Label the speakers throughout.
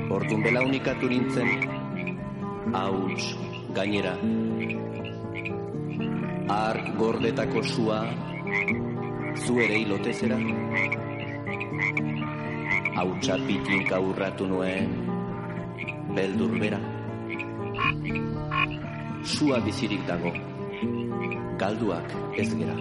Speaker 1: Orduan belaunikatu nintzen, hauts gainera. Ark gordetako sua, zu ere hilotezera. Hautsa pitinka urratu nuen, beldur bera. Sua bizirik dago, galduak ez gera.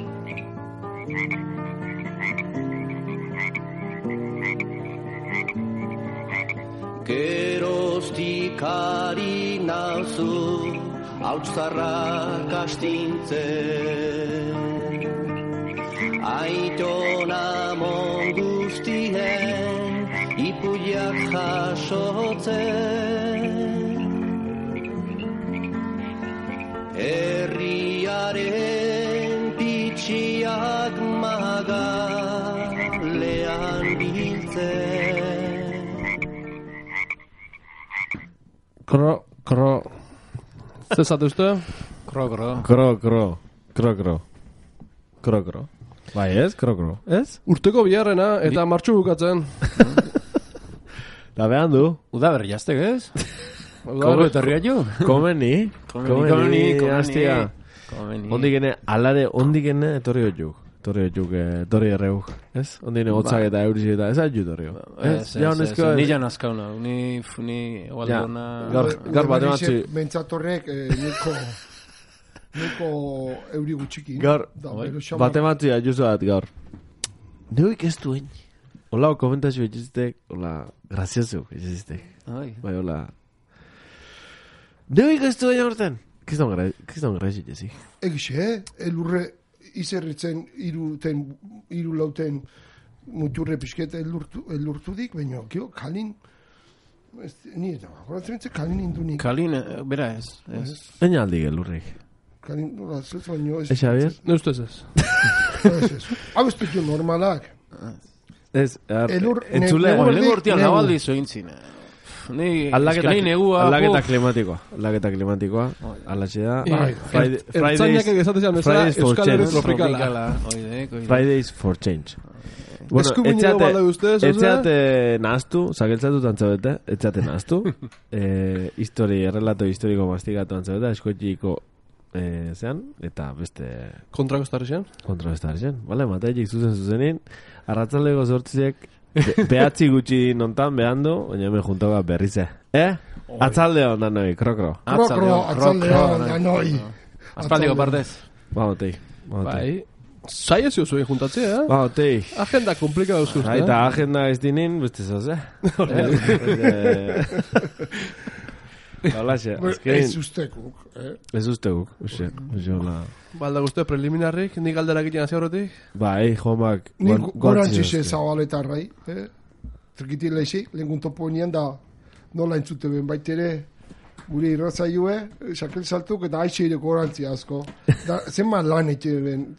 Speaker 1: Geroztik ari nauzu, hautzarrak astintzen. Aitona mongustien, ipuiak jasotzen. Herriaren pitxiak magalean biltzen.
Speaker 2: Kro. Zezate uste?
Speaker 3: Kro. Bai ez, kro. Ez?
Speaker 2: Urteko biharrena eta martxu bukatzen.
Speaker 3: Da behan du.
Speaker 4: Uda berri jaztek ez? Uda etorria jo?
Speaker 3: Komeni, hastia. Ondigene, alare, ondigene etorri erreuk, ez? Ondine gotzak eta euriz eta ez aizu torri.
Speaker 4: Ni jan azkauna, ni egualdona...
Speaker 3: Gaur bat ematzi...
Speaker 5: Bentzatorrek neko euri gutxikin.
Speaker 3: Gaur, bat ematzi aiuzu bat gaur. Neuik ez duen. Hola, komentazio egiztek, hola, grazioso egiztek. Bai, hola. Neuik ez duen aurten. Kiston grazit ezi.
Speaker 5: Egixe, elurre... izerritzen iru lauten muturre pixketa elurtudik, baina kalin ni eta horatzen kalin indunik.
Speaker 4: Kalin, bera ez.
Speaker 3: Baina aldi gelurrik.
Speaker 5: Kalin, zeltz baino ez.
Speaker 3: Ez, Javier?
Speaker 2: Ne ustez ez.
Speaker 5: Hau ez petu normalak.
Speaker 3: Ez,
Speaker 4: entzule. Lehen urtean labaldi zointzin.
Speaker 3: Aldaketa klimatikoa. Alatxe da.
Speaker 2: Ertzainak egizatean bezala Euskal Herri tropikala.
Speaker 3: Fridays for Change.
Speaker 2: Eskubineko bada ustez,
Speaker 3: etxeate nahaztu, zakeltzatu tantzabete, etxeate nahaztu. Errelato historiko mastikatu tantzabete, eskoetxiko zean, eta beste...
Speaker 2: Kontrabestarri
Speaker 3: zen. Bale, mateik zuzenin, arratzaldeko zortziek behatzi gutxi nontan behandu, baina hemen juntoka berrize. Atzalde ondan noi, kro.
Speaker 5: Atzalde ondan noi.
Speaker 4: Aspaldiko partez.
Speaker 3: Bautei.
Speaker 2: Bai. Zai ez zuen juntatzea,
Speaker 3: Bautei.
Speaker 2: Agenda komplikada euskuz.
Speaker 3: Eta agenda ez dinin, beste zoz,
Speaker 5: Ez ustekuk.
Speaker 3: Ez ustekuk.
Speaker 5: Balda guztu preliminarrik, nik galderak egiten hazi horretik?
Speaker 3: Bai, jomak...
Speaker 5: Nik gorantzize zabaletarrai. Trikiti lehizik, lehen topo nian da nola entzute ben baitere gure irratzaioe, sakel saltuk eta aixeireko gorantzi asko. Zenbat lan egiten ben,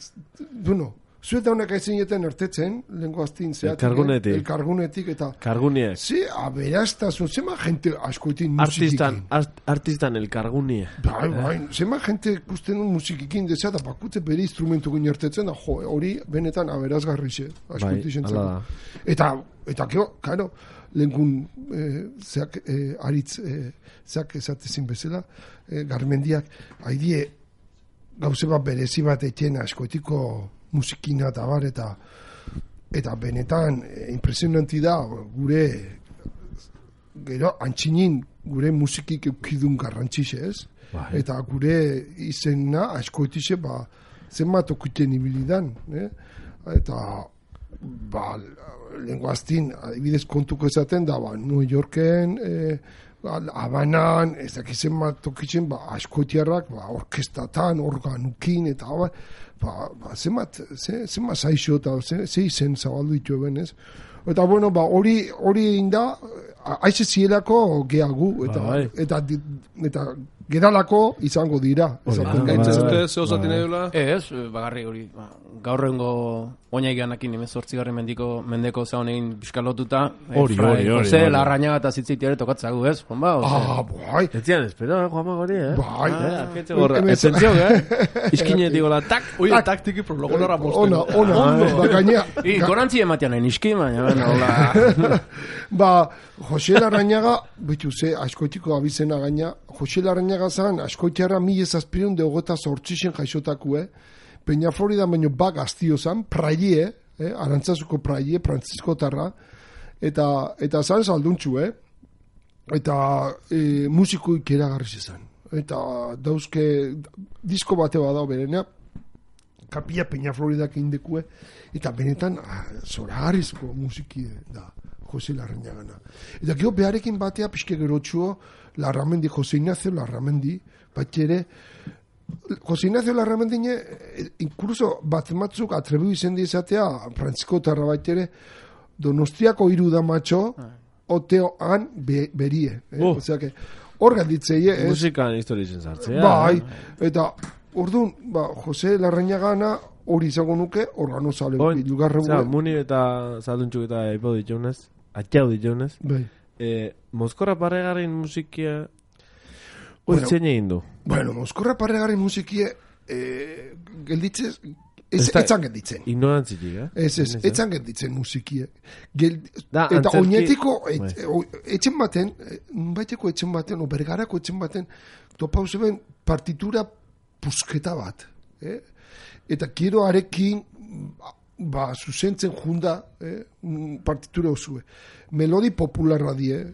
Speaker 5: duno. Zueta honek aizineten ertetzen, lehenko aztin zeatik. Elkargunetik eta...
Speaker 3: Karguniek.
Speaker 5: Ze, aberaztazun, zema gente askoetin musikikin.
Speaker 3: Artistan elkargunie.
Speaker 5: Bai, zema gente ikusten musikikin dezea eta bakutze bere instrumentu gine ertetzen, da hori benetan aberazgarrixe. Askoetin
Speaker 3: da.
Speaker 5: Eta, karo, lehenkun zeak aritz, zeak esatezin bezala, garmendiak, haidie gauze bat berezi bat eitien askoetiko musikina eta bar, eta benetan impresionanti da gure gero antxinin gure musikik eukidun garrantzixe, ez? Eta gure izena askoetixe zenbat okuten ibilidan, eta lenguaztin adibidez kontuko ezaten da New Yorken Habanan, ez dakizen bat tokitzen askoetiarrak orkestatan, organukin eta zenbat zaixo eta ze izen zabaldu ditu eben, ez? Eta, bueno, hori inda, aize zielako geagu, eta gedalako izango dira.
Speaker 2: Zute, zeo zaten edula?
Speaker 4: Ez, bagarri hori, gaurrengo oinaiganekin 18. mendeko zaun egin piskalotuta.
Speaker 3: Hori.
Speaker 4: Jose, larrañaga eta zitzitiare tokatzagu, ez?
Speaker 5: Bai.
Speaker 3: Ez zian, espero, Juanma gori,
Speaker 5: Bai.
Speaker 3: Esentzio, Iskinetik gola, tak.
Speaker 2: Oie, taktiki prologo lorra posten.
Speaker 5: Ona, gaina.
Speaker 4: Gorantzi ematean nahi niski, baina,
Speaker 5: Ba, Jose Larrañaga, betu ze, askoitiko abizena gaina, Jose Larrañaga zan, askoitiara 1728 jaixotakue, Peña Florida baino bak aztio zan, praie, Arantzazuko praie, Frantziskotarra, eta zan salduntxu, eta musiko ikeragarriz zan. Eta dauzke, disko bate badao berena, Kapilla Peña Floridak indekue, eta benetan, zoragarrizko musiki da. Jose Larrañagana. Eta gero beharekin batea pixke gerotxuo Larramendi, Jose Ignacio Larramendi, batxere, Jose Ignacio Larramendi incluso batzuk atrebu izendi izatea, Frantziskotarra batxere, Donostiako iruda matxo, oteoan berie. Osea que, hor galditzei,
Speaker 3: musikan historizen zartzea.
Speaker 5: Bai, eta orduan, Jose Larrañagana hori izango nuke, organo zale lugarre
Speaker 3: gure. Muni eta zalduntzuk eta ipau ditxaunez, atxau ditxaunez.
Speaker 5: Bai.
Speaker 3: Mozkorra Parregarren musikia oitzen egin du.
Speaker 5: Bueno, Mozkorra Parregarren musikia gelditzez, etzan gelditzen.
Speaker 3: Ignorantzik,
Speaker 5: etzan gelditzen musikia. Eta oinetiko, etxen baten, baiteko etxen baten, o bergarako etxen baten, topauze ben partitura pusketa bat. Eta kiero arekin zuzentzen junda partitura osue. Melodi popularra die,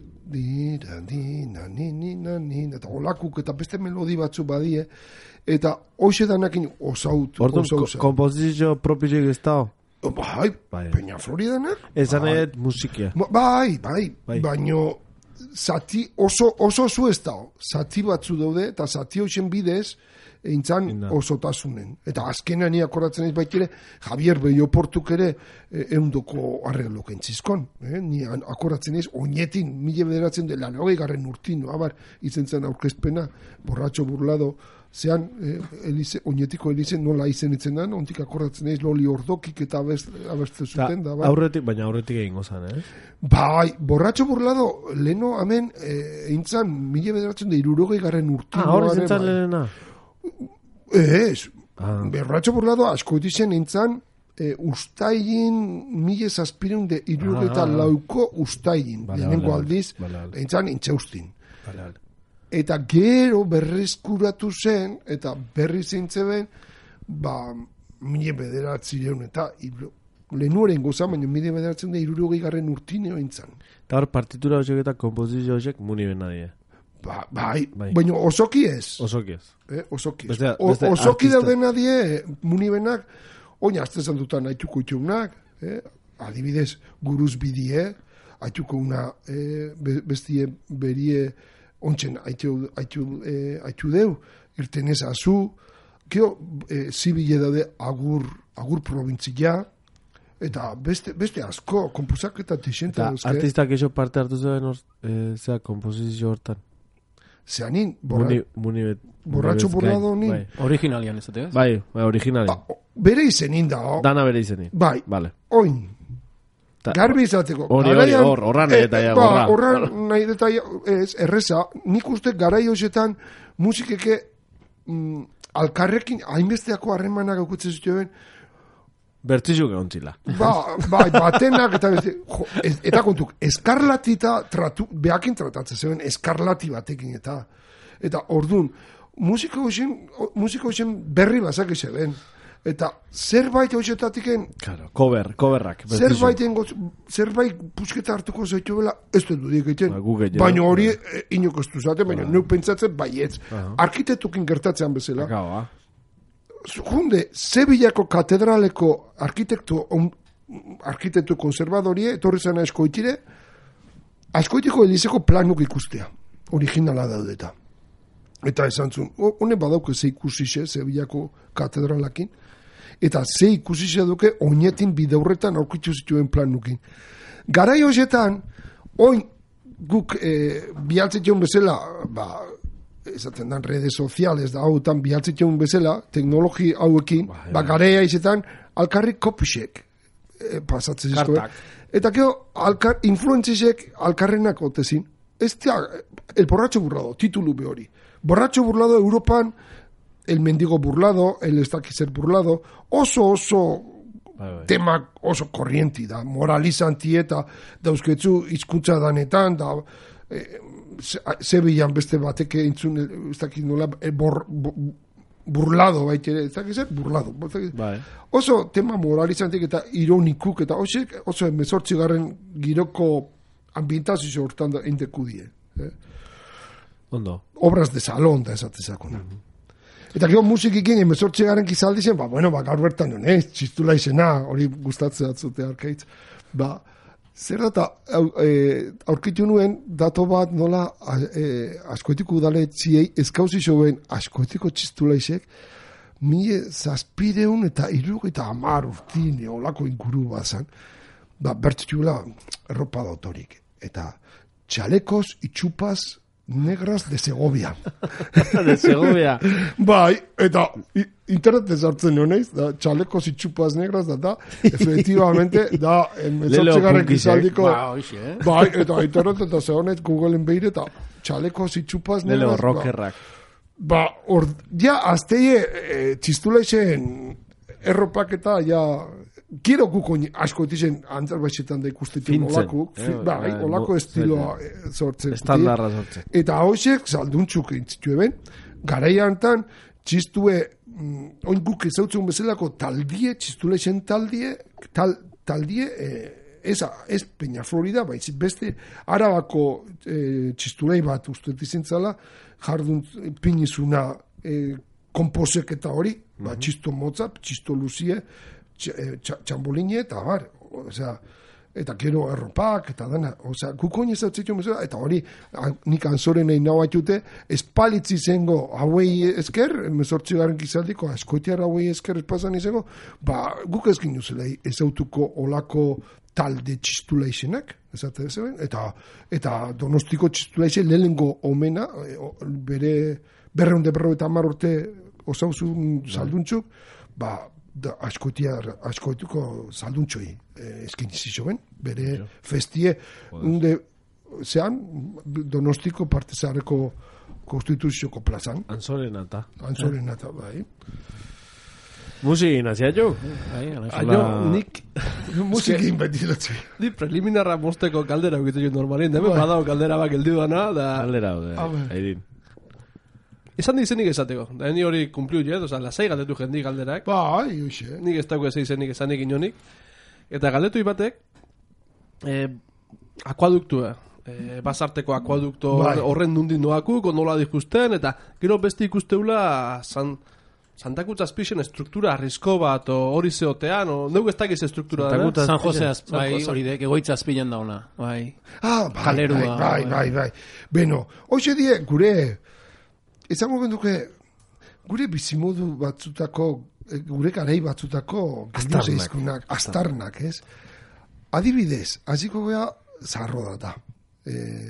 Speaker 5: eta olakuk eta beste melodi batzu badie, eta hoxe danakin osaut.
Speaker 3: Orduan, kompozizio propizio ez da?
Speaker 5: Bai, Peña Floridanak.
Speaker 3: Ezan edet musikia.
Speaker 5: Bai, baino zati oso zu ez da. Zati batzu daude, eta zati hoxen bidez, eintzan osotasunen. Eta azkenean ni akordatzen ez baitire, Javier Belloportuk ere eundoko arreglok entzizkon. Ni akordatzen ez, oinetin, 1980 urtin, izen zen aurkezpena, Borratxo Burlado, zean, oinetiko elizen nola izen itzenan, ontik akordatzen ez, Loli Ordokik eta abertze zuten.
Speaker 3: Baina aurretik egin gozan,
Speaker 5: Bai, Borratxo Burlado, leno hemen, eintzan, 1960 urtin.
Speaker 3: Hor zintzan lehena?
Speaker 5: Ez, Borratxo Burlado asko dizen nintzen ustailin 1764 ustailin, lehenengo aldiz, nintzen intxaustin. Eta gero berreskuratu zen, eta berri zintzeben, 1900 eta lehenuaren gozan, baina 1960 urtineo nintzen.
Speaker 3: Eta hor partitura horiek eta kompozizio horiek muni ben nadie.
Speaker 5: Bai, baina osoki ez.
Speaker 3: Osoki ez.
Speaker 5: Osoki dauden nadie, munibenak, oina aztezan dutan haituko itxunak, adibidez, guruz bidie, haituko una bestie berie ontsen haitu deu, irtenez azu, kio, zibile daude agur provintzia, eta beste asko, kompozak eta tixente dauzke.
Speaker 3: Artistak eixo parte hartu zuen zea kompozizio hortan.
Speaker 5: Zeanin,
Speaker 3: Borratxo
Speaker 5: Burlado nin.
Speaker 4: Originalian ez dut.
Speaker 3: Bai, originalian.
Speaker 5: Bere izenin da.
Speaker 3: Dana bere izenin.
Speaker 5: Bai, oin. Garbi izateko.
Speaker 3: Horran nahi detaia.
Speaker 5: Horran nahi detaia, erreza, nik uste garai hoxetan musikeke alkarrekin hainbesteako harremanak aukutzen zituen,
Speaker 3: bertzizuk egon zila.
Speaker 5: Bai, batenak eta kontuk, eskarlatita behakin tratatzen zeuen, eskarlati batekin eta orduan, musiko hoxen berri bazak izeben, eta zerbait hoxetatiken
Speaker 3: coverrak
Speaker 5: zerbait pusketa hartuko zaitu bela, ez dut dudik egiten, baina hori inok ez duzaten, baina nuk pentsatzen baietz, arkitektukin gertatzean bezala. Junde, Sevillako katedraleko arkitektu konservadorie, etorri zena askoitiko elizeko planuk ikustea. Originala daudeta. Eta esan zuen, honen badauk ez ikusixe, Sevillako katedralakin. eta ze ikusi duke oinetin bideurretan aurkitu zituen planukin. Garai horietan, oin guk bialtzetion bezala, esaten dan redes sociales da hautan bialtzetion bezala, teknologi hauekin, garai izetan, alkarrik kopixek pasatzen zizko. Eta gero, influentzisek alkarrenak otezin. El borracho burlado, titulu behori. Borracho burlado Europan, el mendigo burlado, el estakizer burlado, oso tema oso korrienti da, moralizanti eta dauzketzu hizkuntza danetan, da zebilan beste batek entzun, ez dakit nola, burlado baitere, ez dakit zer, burlado. Oso tema moralizantik eta ironikuk, eta oso 18. giroko ambientazio hortan da endekudie.
Speaker 3: Ondo.
Speaker 5: Obras de salón da esatezakona. Eta gero musikikin 18. kizaldi zen, gaur bertan duen, txistula izena, hori gustatzea atzute arkaitz. Zer data, aurkitu nuen, dato bat nola askoetiko udale txiei, eskauzi zoen askoetiko txistula izek, 1700 eta 70 urtine, olako inguru bazan, bertxutula erropa dautorik. Eta chalecos y chupas negras de Segovia.
Speaker 3: De Segovia.
Speaker 5: Eta internet sartzen honeiz, da chalecos y chupas negras da, efectivamente, da, metzotzegarren gizaldiko, eta internet eta zehonez Googleen behire, eta chalecos y chupas negras.
Speaker 3: Lelo rockerrak.
Speaker 5: Azteie txistula izen erropak eta, Kiro guko asko etizen antzarbaizetan da ikustetzen olako, olako estiloa sortzen.
Speaker 3: Estandarra sortzen.
Speaker 5: Eta hoxek salduntzuk entzitu eben, garaian tan, txistue, oin guk ezautzen bezalako taldie, txistule zen taldie, ez Peña Florida, baizik beste Arabako txistulei bat usteet izentzala, jardun pinizuna komposek eta hori, txisto motza, txisto luzie, txamboline eta bar, eta gero erropak eta dana, gukoin ez dautzitzen bezala, eta hori nik anzoren egin nahi batute, espalitzi zengo hauei esker, 18. gizaldiko askoetiar hauei esker espazan izango, guk ezkin duzela ezautuko olako talde txistula izenak, eta Donostiko txistula izen lehenengo omena, bere 250 urte osauzun salduntzuk, askoetuko salduntxoi eskinizizo ben, bere festie zean Donostiko partezareko konstituzioko plazan.
Speaker 3: Anzorenata,
Speaker 5: bai.
Speaker 3: Musikin, hasia jo?
Speaker 2: Nik
Speaker 5: musikin beti dutzi.
Speaker 2: Ni preliminarra mosteko kaldera ukitzen normalien, deme badao kaldera bak eldi duana, da...
Speaker 3: Kaldera, Airin.
Speaker 2: Esan izenik esateko. Da ni hori kumpliu jet, lasai galdetu jendik galderak.
Speaker 5: Hoxe.
Speaker 2: Nik ez dago ez izenik esanik inonik. Eta galdetu ibatek, akuaduktua. Basarteko akuadukto horren nundin noakuk, nola dikusten, eta gero beste ikusteula Santakutz azpixen struktura arrisko bat, hori zeotean, neugu ez dakiz struktura da.
Speaker 4: San Jose hori dek, egoitza azpilen da ona. Kalerua.
Speaker 5: Bai. Beno, hoxe die, gure... Ezango genduke, gure bizimodu batzutako, gure garei batzutako astarnak, ez? Adibidez, hasiko gea zarro data.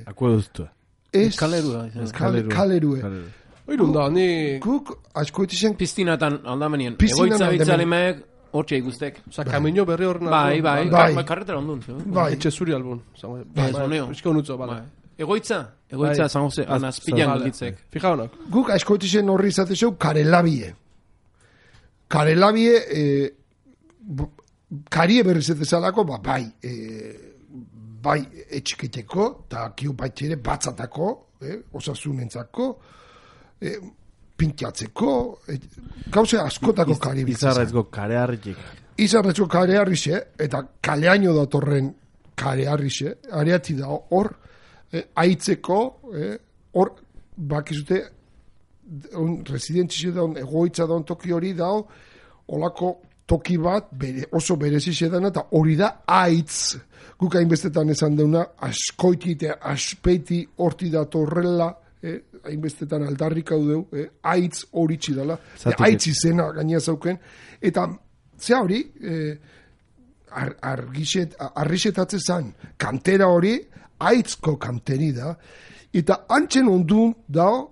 Speaker 3: Akueduztua.
Speaker 5: Kalerue.
Speaker 2: Oirun da, ni...
Speaker 5: Guk, asko etizen...
Speaker 4: Piztinatan aldamenien. Egoitza bitzalimek, hortxe ikustek.
Speaker 2: Kamino berri horren...
Speaker 4: Bai. Karretera ondun.
Speaker 2: Etxe zuri albun.
Speaker 4: Egoitza San Jose, anazpilan galditzek.
Speaker 2: Fija honak.
Speaker 5: Guk asko etizen horri izatezeu karelabie. Karie berrizetezalako, bai etxiketeko, eta kiu baitxere batzatako, osasunentzako, pintiatzeko, gauze askotako kari
Speaker 3: Izarretzko karearritxik.
Speaker 5: Izarretzko karearrixe, eta kaleaino datorren karearrixe, areati da hor, aitzeko, hor, bakizute, residentzize daun, egoitza daun toki hori dao, olako toki bat, oso berezize dana, eta hori da aitz, guk hainbestetan esan deuna, askoiti eta aspeiti horti datorrela, hainbestetan aldarrik hau deu, aitz hori txidala, aitz izena gaina zauken, eta Zea hori, arrixetatzen zan, kantera hori, aitzko kanteri da, eta antzen ondun dao,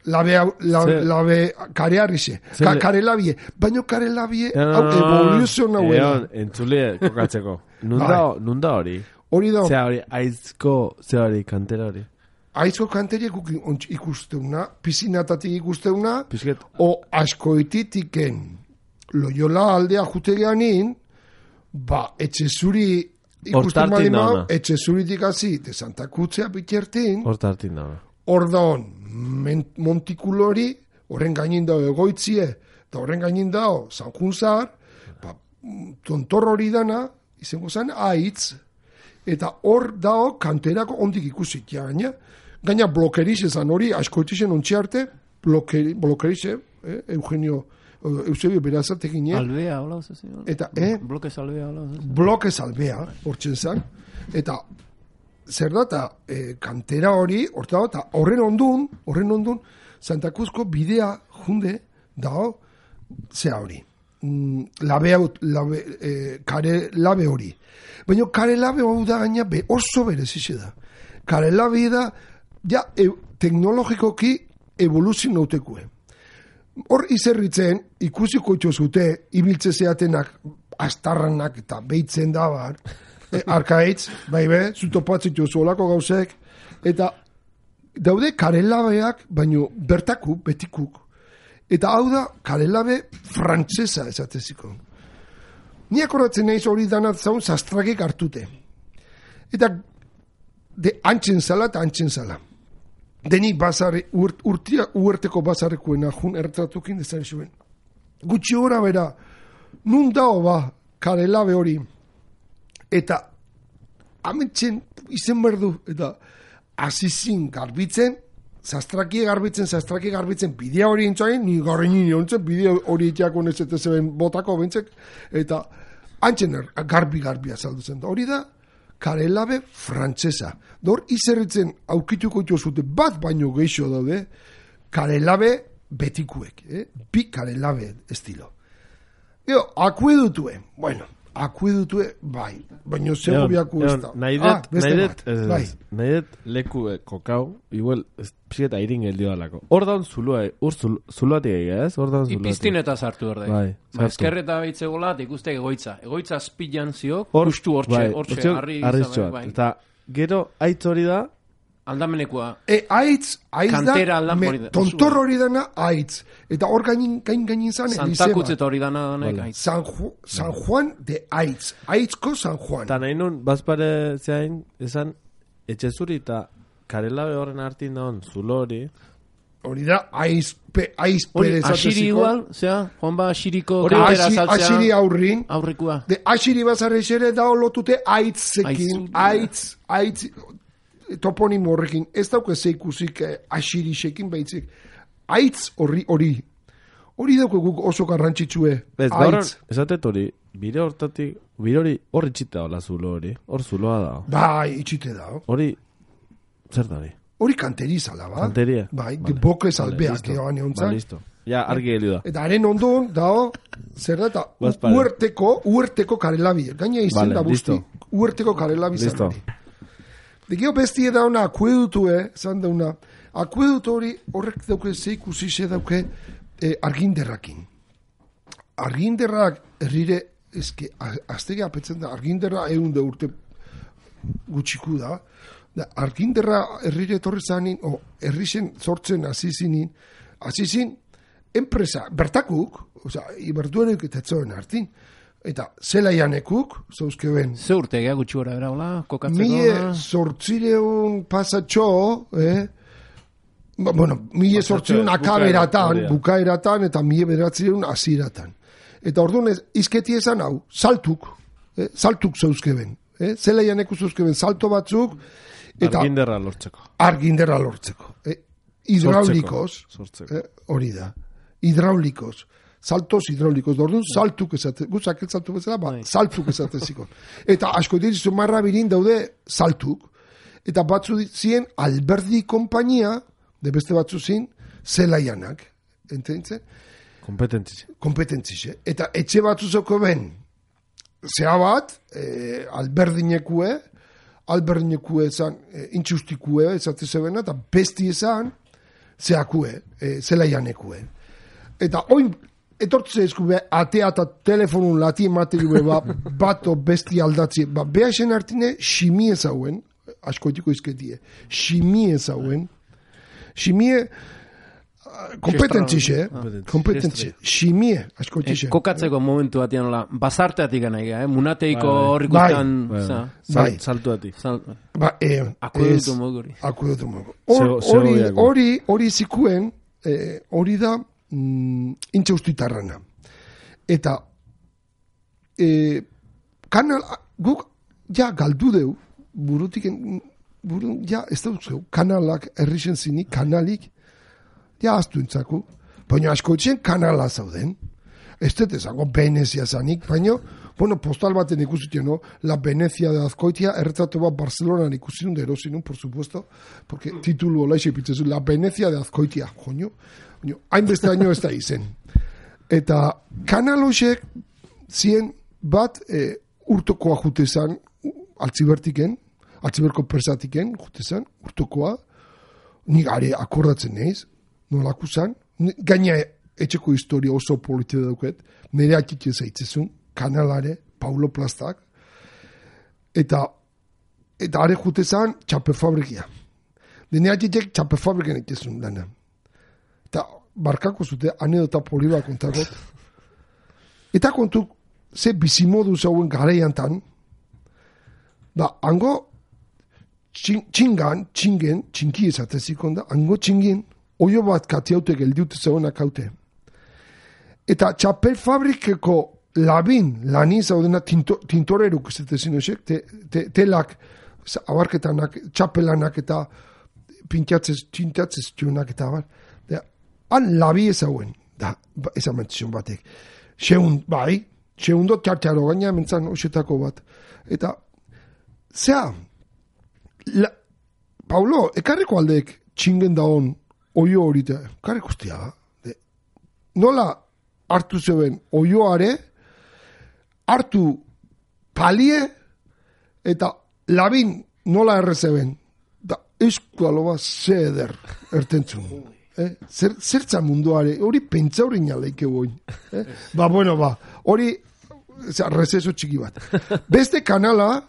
Speaker 5: labe kare arrixe, kare labie, baino kare labie, evoluzio nahuela.
Speaker 3: Entzulie kokatzeko. Nunda hori?
Speaker 5: Hori da.
Speaker 3: Zea hori, aitzko, zea hori, kantera hori.
Speaker 5: Aizko kanteriek ikusteuna, pizinatatik ikusteuna, o askoititiken Loyola aldea jutegeanin, etxe zuri ikusten malimau, etxe zuritik hazi, de Santa Kutzea bitertin, hor daun, montikulori, horren gainin dao egoitzie, eta horren gainin dao San Junzar, tontor hori dana, izango zen, aitz, eta hor dao kanterako ondik ikusik, gaina blokerize zan hori, askoitixen ontsi blokerize, Eugenio, Eusebio Berazatekin,
Speaker 4: Albea, hola,
Speaker 5: eta,
Speaker 4: Blokez Albea, hola,
Speaker 5: Blokez Albea, hortzen zan, eta, zer da, eta kantera hori, eta horren ondun, Santa Cruzko bidea junde, dao, zea hori, kare labe hori. Baina kare labe hori da gaina oso berezize da. Kare labe da, teknologikoki evoluzio nautekue. Hor izerritzen, ikusiko itxozute, ibiltze zeatenak, astarranak eta behitzen da bar, arkaitz, zutopatzitzu olako gauzek, eta daude karelabeak, baino bertakuk, betikuk, eta hau da karelabe frantzesa esateziko. Ni akordatzen naiz hori danat zaun zastrakik hartute. Eta antzen zala. Denik bazarri, uerteko bazarrekuena jun ertratukin dezaren zuen. Gutxi gora bera, nun dao karelabe hori, eta ametxen izen berdu, eta azizin garbitzen, zastraki garbitzen, bidea hori intzain, ni garri nini ontzen, bidea hori itiako nezetezeben botako bentzek, eta antzen garbi azalduzen. Hori da, karelabe frantzesa. Dor, izerritzen aukituko itxozute bat baino geixo daude, karelabe betikuek, bi karelabe estilo. Akuedutue, bai, baino zego biaku ez da.
Speaker 3: Nahi dut leku kokau, igual, pixeta irin geldio dalako. Hor daun zuluatik egia, ez?
Speaker 4: Ipiztineta sartu hor da. Ezkerreta behitzegola, ikuste egoitza. Egoitza azpilan ziok, justu hortxe, harri
Speaker 3: izan. Eta gero, aitz hori da,
Speaker 4: aldamenekoa.
Speaker 5: Aitz da, tontor hori dana aitz. Eta hor gainin zan,
Speaker 4: Santa Kutzeta hori dana aitz.
Speaker 5: San Juan de Aitz. Aitzko San Juan.
Speaker 3: Eta nahi nun, bazpare zeain, esan, etxezuri eta karelabe horren hartin daun, zulo hori.
Speaker 5: Hori da, aiz perez
Speaker 4: asiri igual, Juan ba asiriko kantera saltzea.
Speaker 5: Asiri aurrin.
Speaker 4: Aurrikua.
Speaker 5: De asiri bazarre xere da lotute aitzekin. Aitz toponimo horrekin, ez dauke zeikusik asirixekin behitzik. Aitz hori. Hori dauke guk oso garrantzitsue.
Speaker 3: Aitz. Esatet hori, bire hori hor itxita hola zulo hori. Hor zuloa da.
Speaker 5: Bai, itxite da.
Speaker 3: Hori, zer da hori?
Speaker 5: Hori kanterizala, ba?
Speaker 3: Kanteria.
Speaker 5: Bai, bokez albeak egon eontzak.
Speaker 3: Listo. Ja, argi helio da.
Speaker 5: Eta haren ondun, dao, zer da, eta uerteko karelabi. Gaina izen da busti. Uerteko karelabi zan hori. Degio bestie da una akuedutue, zan da una, akuedutu hori horrek dauke zeikusize dauke arginderrakin. Arginderrak errire, aztege apetzen da, arginderra egun da urte gutxiku da, arginderra errire etorri zanin, errixen sortzen azizin, enpresa, bertakuk, iberduenek eta etzoen hartin, eta zelaianekuk, zauzkeben.
Speaker 4: Ze urtegea gutxi gora bera, hola, kokatzeko?
Speaker 5: Mie sortzireun pasatxo, mie sortzireun akaberatan, bukaeratan, eta mie bederatzireun aziratan. Eta orduan izketi esan hau, saltuk zauzkeben. Zelaianeku zauzkeben salto batzuk, eta arginderra lortzeko. Hidraulikos, hori da, hidraulikos. Saltos hidráulicos, orduan saltuk esate, guzak ez saltu bezala, saltuk esateziko. Eta asko dirizu marra birin daude saltuk, eta batzu zien Alberdi kompainia, de beste batzu zin, zelaianak, ententzen? Kompetentzize. Eta etxe batzuzoko ben, zea bat, alberdinekue ezan, intxustikue, ezate zebena, eta besti ezan, zeakue, zelaianekue. Eta oin, etortze eskube, atea eta telefonun lati emateriue bato besti aldatzi, beha esen hartine, ximie zauen, askoitiko izketie, ximie zauen, ximie, kompetentzize, ximie, askoitzize.
Speaker 4: Kokatzeko momentu batean, bazarteatik gana, munateiko horrikutan,
Speaker 3: saltuatik.
Speaker 4: Akuedutu moguri.
Speaker 5: Hori zikuen, hori da, intxaustitarrana. Eta, kanal, guk, ja, galdu deu, burutik, ja, ez da duzeu, kanalak, errixen zini, kanalik, ja, aztu entzaku. Baina asko etxen kanala zauden. Ez dut ezango Venezia zanik, baina, bueno, postal baten ikusitio, no? La Venezia de Azkoitia, erretratu bat Barcelonan ikusinun, de erosinun, por supuesto, porque titulu hola isepitzen, La Venezia de Azkoitia, joño, hainbeste año ez da izen. Eta kanalosek zien bat urtokoa jutezan, altziberko persatiken jutezan, urtokoa, nik are akordatzen neiz, nolako zan, gaina etxeko historia oso polite dauket, nire atxitxe zaitzezun, kanalare, Paulo Plastak, eta are jute zan, txape fabrikia. Nire atxitxek txape fabrikan etxezun dana. Eta barkako zute, anedota poliba kontakot. Eta kontu, ze bizimodu zauen garaiantan, hango txinki ezatezikon da, hango txingin, oio bat katiaute geldiute zaunak haute. Eta txapel fabrikeko lani zaudena tintoreruk ezetezin osek, telak, abarketanak, txapelanak eta txintatzez txunak eta abar. Han labi ezauen, ezan mentzion batek. Xeundo txartxaro gaina mentzan osetako bat. Eta, Paulo, ekarriko aldeek txingen daon oio horita, karek ustia, nola hartu zeben oioare, hartu palie, eta labin nola errezeben, da eskualoba zeder ertentzun. Zertza munduare, hori pentsa hori naleike boin. Hori rezeso txiki bat. Beste kanala,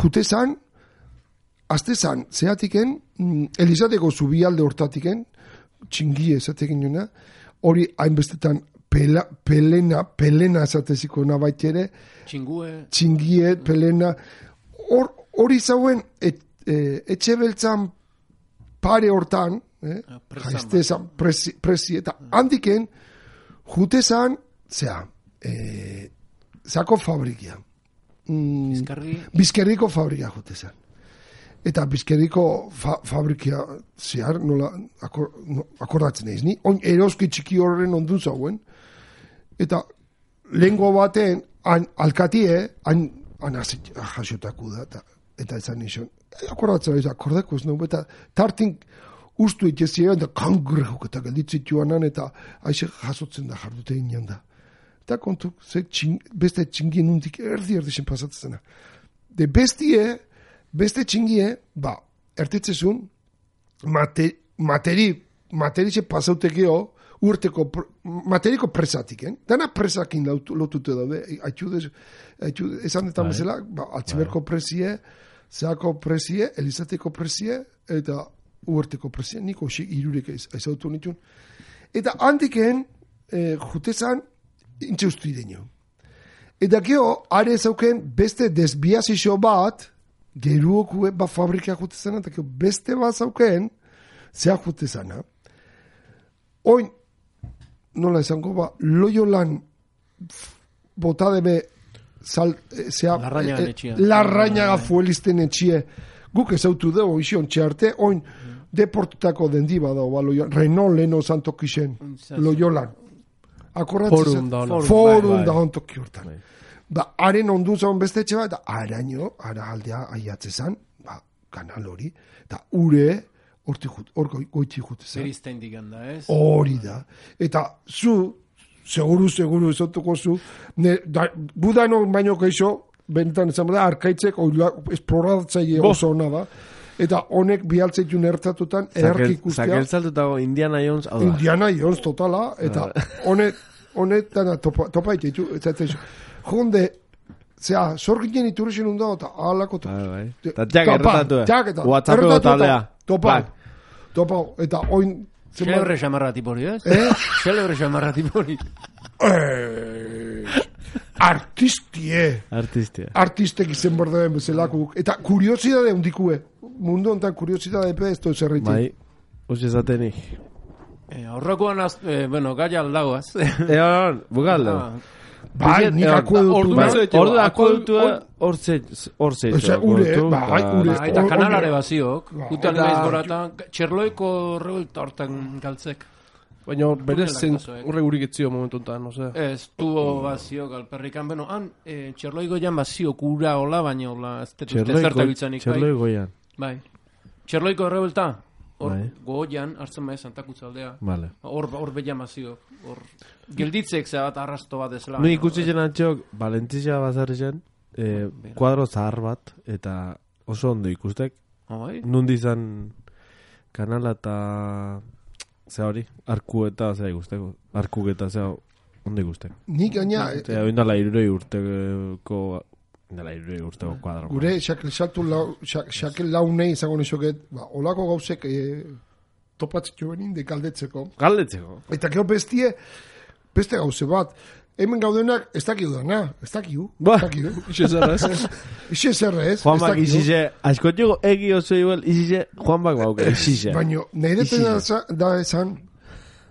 Speaker 5: jutezan, aztezan, zehatiken, Elizateko zubialde hortatiken, txingie esateken jona, hori hainbestetan pelena esateziko nabaitere, txingie, pelena, hori zauen, etxe beltzan pare hortan, jaiztezan, presi, eta handiken, jutezan, zako fabrikia. Bizkerriko fabrika jutezan. Eta bizkerriko fabrikia zehar, nola akordatzen eiz, ni? Oin eroski txiki horren ondun zauen. Eta lengua baten, alkatie, jasotaku da, eta ezan nizan. Akordatzen eiz, akordeko ez nago, eta tartin ustu itxezia, eta kangrejok eta gelditzituanan, eta aize jasotzen da, jardute inean da. Eta kontu, beste txingien undik erdi-zen pasatzen. De beste txingie, ertetzezun, materize pasautekeo, urteko, materiko presatik, dana presakin lotute daude, esan eta bezala, altziberko presie, zeako presie, Elizateko presie, eta urteko presie, niko irurek aizautu nitun. Eta handiken, jutezan, intxeustu idenio. Eta geho, are zauken, beste desbiazizio bat, geruokue fabrika jutezana, eta beste bat zauken, zea jutezana. Oin, nola esango Loiolan botadebe larrañaga fuelisten etxie, guk ezautu dugu izion txarte, oin deportutako dendiba dago, Renault leno zantokisen, Loiolan. Akorratzen forum da ontoki hortan. Haren ondun zaun beste etxe bat, eta araño, ara aldea aiatzezan, kanal hori, eta ure, hor goitzi jute.
Speaker 4: Zerizten diganda, ez?
Speaker 5: Hori da. Eta seguru ezotuko zu, budano baino keixo, bentan ezan da, arkaitzek esploratzaile oso hona da. Eta honek bialtzeitu nertatutan erarki ikustea.
Speaker 3: Zakeltzaltutago Indiana Jones, hau da.
Speaker 5: Indiana Jones totala, eta honetan topa ititu, jonde, zera, sorginen iturrexen undao, eta alako
Speaker 3: eta jak erretatu, WhatsApp taldea.
Speaker 5: Topa, eta oin...
Speaker 4: Celebre xamarra tipori, ez? Celebre xamarra tipori.
Speaker 5: Artistek izen bordeen bezelakuk. Eta kuriosidade hundikue. Mundu ontan kuriosidade pe ez toz erritik.
Speaker 3: Bai, hoxe zatenik.
Speaker 4: Horrekoan, gaia aldagoaz.
Speaker 3: Bukalda.
Speaker 5: Bai, nik
Speaker 3: akueduktua hortze.
Speaker 4: Eta kanalare baziok. Utan naiz gorata, txerloiko revuelta hortan galtzek.
Speaker 2: Baina berez zen horre gurik etzio momentu enten, no sé.
Speaker 4: Ez, tubo baziok alperrikan, han, txerloiko jan baziok ura hola, baina hola, ez zerta biltzanik.
Speaker 3: Txerloiko jan.
Speaker 4: Bai. Txerloiko revuelta, hor goian, hartzen maia Santakutza aldea. Hor behan baziok. Gelditzek zebat arrasto bat ezela.
Speaker 3: Nu ikusi zen antxok, Valentizia bazarri zen, kuadro zahar bat, eta oso ondo ikustek. Nundi izan kanala eta zea hori, arku eta zea ikusteko. Arkuk eta zea ondo ikustek.
Speaker 5: Nik gaina...
Speaker 3: Eta oindala irurei urteko kuadro.
Speaker 5: Gure, xakel launei izango nizoket, olako gauzek topatzeko benin de galdetzeko. Eta gero beste gauze bat. Hemen gaudenak ez dakiu dana. Ez dakiu. Ixe zerrez.
Speaker 3: Juan bak izize, askotxego egi oso igual, izize Juan bak bauke, izize.
Speaker 5: Baina, nahi deten da esan,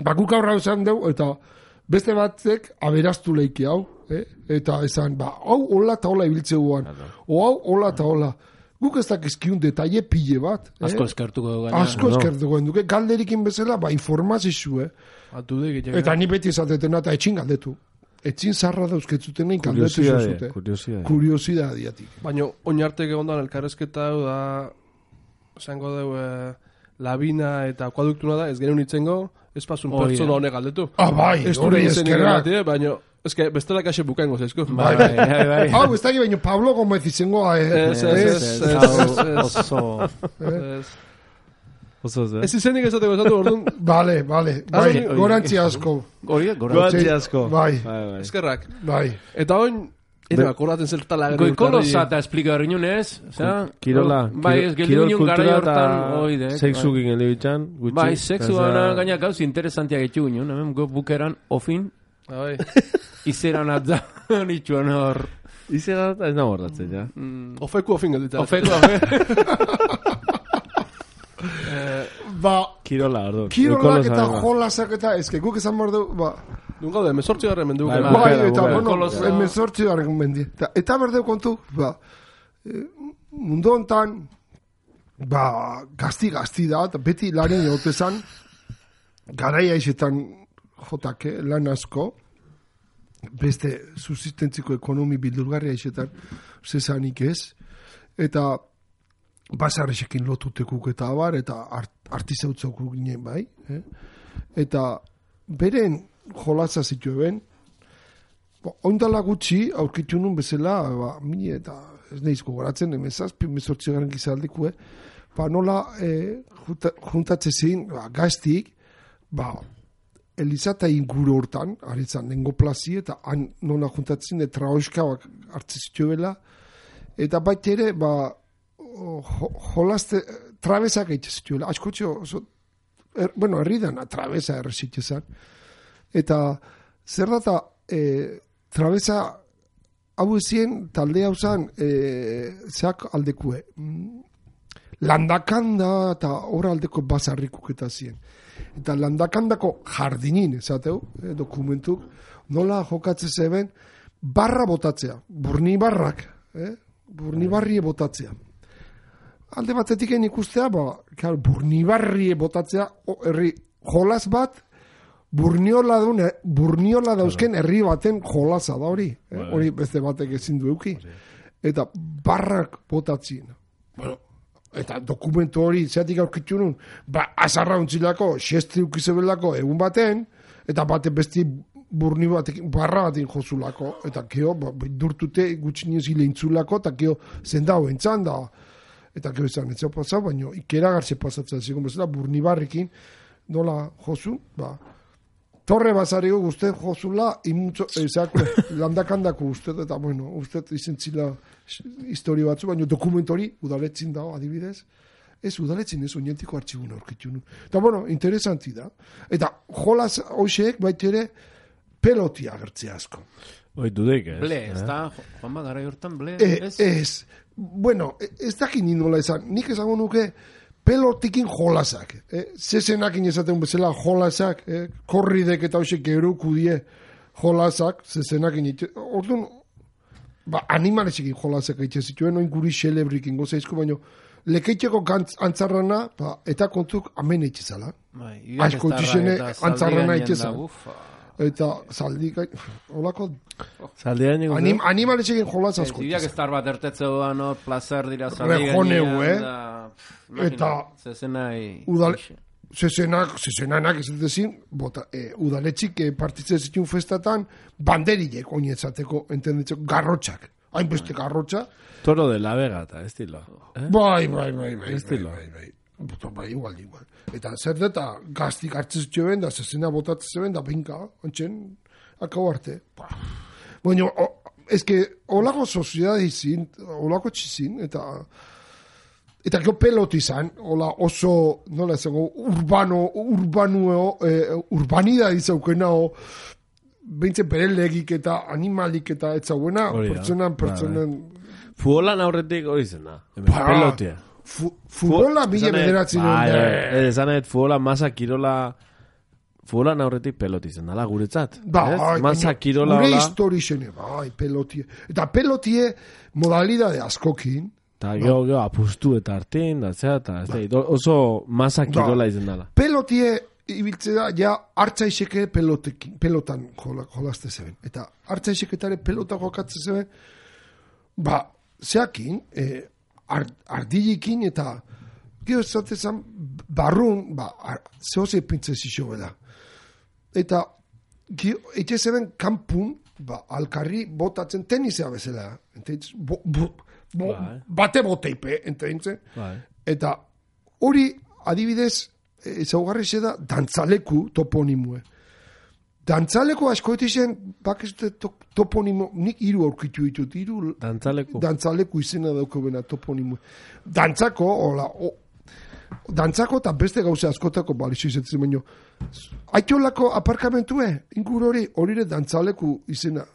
Speaker 5: bakuk aurra esan deu, eta beste batzek aberaztu leiki hau. Eta esan, hau hola eta hola ibiltze guan. O hau hola eta hola. Guk ez dakizkiun detaile pile bat.
Speaker 4: Asko eskertuko dugu.
Speaker 5: Asko eskertuko dugu. Galderikin bezala, informazizue. Eta ni beti esatetena eta etxin galdetu. Etxin zarra dauzketzuten egin galdetu zuzute. Kuriosidadeatik.
Speaker 2: Baina, oinartek egondan elkarrezketa da, zango dugu, labina eta akuaduktuna da, ez genuen itzengo, ez pasun pertsona honek galdetu.
Speaker 5: Bai, hori eskerrak.
Speaker 2: Baina, ez que bestela kaxe bukaingo zeizko.
Speaker 5: Bai. Hau, ez dakit, baina Pablo Gomez izango,
Speaker 2: Ez izenik esateko esatu, orduan.
Speaker 5: Bale, bai, gorantzi asko.
Speaker 3: Gorantzi asko.
Speaker 5: Bai.
Speaker 2: Eskerrak.
Speaker 5: Bai.
Speaker 2: Eta oin, akordaten zeltala.
Speaker 4: Goikolosa eta esplika berrinunez.
Speaker 3: Kirola.
Speaker 4: Bai, ez geldi union gara hortan.
Speaker 3: Sexukin geldi bitxan.
Speaker 4: Bai, sexuana gaina gauz interesantiak etxu union. Hemen bukeran, ofin. Izeran atza. Nitxuan hor.
Speaker 3: Izeran atza ez nago horratzen, ja.
Speaker 2: Ofeku ofin gelditzen.
Speaker 3: Kirola, ordu.
Speaker 5: Kirolak eta jolasak eta ezke guk esan behar du,
Speaker 2: Nun gaude, emezortzi garren mendu.
Speaker 5: Bai, eta, emezortzi garren mendu. Eta berdeu kontu, mundu hontan, gazti da, eta beti larin jotezan, garaia izetan jotake, lan asko, beste subsistentziko ekonomi bildurgarria izetan, zezanik ez, eta basarresekin lotutekuk eta abar, eta artizautzok ginen bai, eta beren jolazza zituen, oindala gutxi aurkitu nun bezala, mini eta ez nahiz gogoratzen, emezortzi garen gizaldikue, nola juntatze zin, gaztik, Elizata inguru hortan, aritzan, nengo plazi, eta nola juntatzen, traoizka hartze zituela, eta baita ere, jolazte, trabesak eitze zituela, askotxo, herri dana, trabesa errezitzezan, eta zer data, trabesa, hau ezien, talde hau zan, zeak aldekue, landakanda, eta hor aldeko bazarrikuk eta zien. Eta landakandako jardinin, esateu, dokumentuk, nola jokatze zeben, barra botatzea, burni barrak, burni barrie botatzea. Alde batetik ikustea, burni barrie botatzea, herri jolas bat, burniola dauzken herri baten jolasa da hori. Hori beste batek ezin du euki. Eta barrak botatzien. Bueno, Eta dokumentu hori, zeatik aurkitu nun, azarra untzilako, xestri ukizebelako egun baten, eta bate besti burni batekin, barra batekin jozulako, eta keo, durtute gutxinez hileintzulako, eta keo zendau entzan da, eta keo izan etzea pasau, baina ikera gartze pasatzen zigun bezala, burni barrekin, nola jozu, torre bazariko guztet jozula, landakandako guztet, eta bueno, guztet izentzila histori batzu, baina dokumentori udaletzin dago, adibidez, ez udaletzin ez, oinentiko artxibuna aurkitu nu. Eta bueno, interesanti da. Eta jolas hoxeek baitere, pelotia agertzea asko.
Speaker 3: Oi, dudek, ez?
Speaker 4: Ble, ez da, Juan Bagara hortan, ble, ez?
Speaker 5: Ez. Bueno, ez dakin nola esan. Nik esango nuke pelotikin jolasak. Zezenakin esaten bezala jolasak, korridek eta hoxek geruku die jolasak, zezenakin. Orduan, animalesekin jolasak eitxe zituen, oin guri xelebrikin gozaizko, baino, lekeitzeko antzarrana, eta kontuk amen eitxe zala. Asko itxizene antzarrana eitxe zala. Eta zaldik, holako...
Speaker 3: Zaldian nik
Speaker 5: animalesekin jolaz asko.
Speaker 4: Zidiak estar bat ertetze doan, placer dira zaldik.
Speaker 5: Rejoneu, Eta...
Speaker 4: Zezenak.
Speaker 5: Zezenanak ez dezin, udaletxik partitzen zituen festatan, banderilek oinetzateko, entenditzeko, garrotxak. Hainbeste garrotxa.
Speaker 3: Toro de la Vega, eta estilo.
Speaker 5: Bai.
Speaker 3: Estilo.
Speaker 5: Bai, igual. Eta zer deta gaztik hartzen zuen da, zezena botatzen zuen da, binka, ontsen, akau arte. Bueno, ezke, olako soziedad izin, olako txizin, eta gero pelot izan, oso, nola esango, urbanidad izaukena, behintzen berelegik eta animalik eta etzauena, pertsonan...
Speaker 3: Futbolan aurretik hori zena, pelotia.
Speaker 5: Futbola mila bederatzen duen.
Speaker 3: Esan ez, futbola masa kirola... Futbolan aurretik peloti zen, dala, guretzat. Masa kirola...
Speaker 5: Gure histori zene, pelotie. Eta pelotie modalidade askokin.
Speaker 3: Eta geho, apustu eta hartin, oso masa kirola izen dala.
Speaker 5: Pelotie ibiltze da, ja, hartzaizeke pelotan jolazte zeben. Eta hartzaizeketare pelota jokatzen zeben, zeakin, ardilikin eta gero zatezan barrun, zehose pintze zixo beda. Eta eitxe zeben kanpun, alkarri botatzen tenisea bezala. Bate boteipe, ententzen. Eta hori adibidez, ezaugarri da dantzaleku toponimue. Dantzaleko askoetizen, bakizute toponimo, nik hiru aurkitu ditut, dantzaleku izena dauko bena toponimo. Dantzako eta beste gauze askotako balixo izatzen baino. Aitolako aparkamentue, ingur hori dantzaleku izena.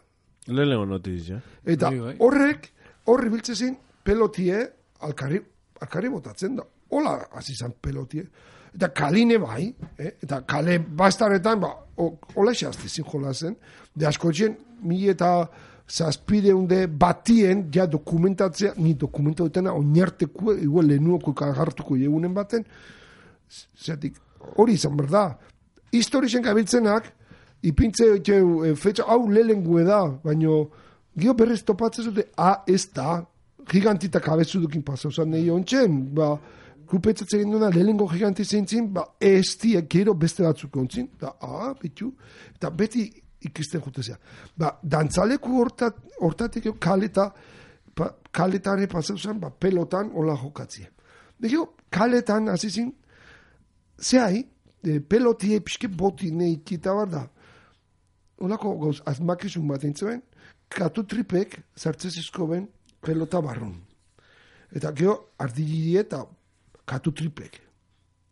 Speaker 3: Lelego notiz, ja.
Speaker 5: Eta horri biltzezin pelotie alkarri botatzen da. Hola, azizan pelotie. Eta kaline bai, eta kale bastaretan, hola xastezin jolazen, de askotxen, eta zazpideunde batien, ja dokumentatzea, ni dokumentatu dutena, oinarteko, igual lehenuoko kagartuko jegunen baten, zeatik, hori izan berda. Historizen gabiltzenak, ipintze, fetxa, hau lehengue da, baino, gio berrez topatzen zute, ez da, gigantita kabezudukin pasauzan nahi ontsen, grupetzatzen egin duena, lehenengo giganti zeintzin, ez gero beste batzuk ontzin, bitu, eta beti ikisten jutezea. Dantzaleku hortatik kaletare pasauzan, pelotan hola jokatzea. Dego, kaletan, azizin, zehai, pelotie pixke boti neikita bar da. Olako gauz, azmakizun bat entzuen, katu tripek zartzezizko ben pelota barrun. Eta gero, ardiliri eta katu tripek.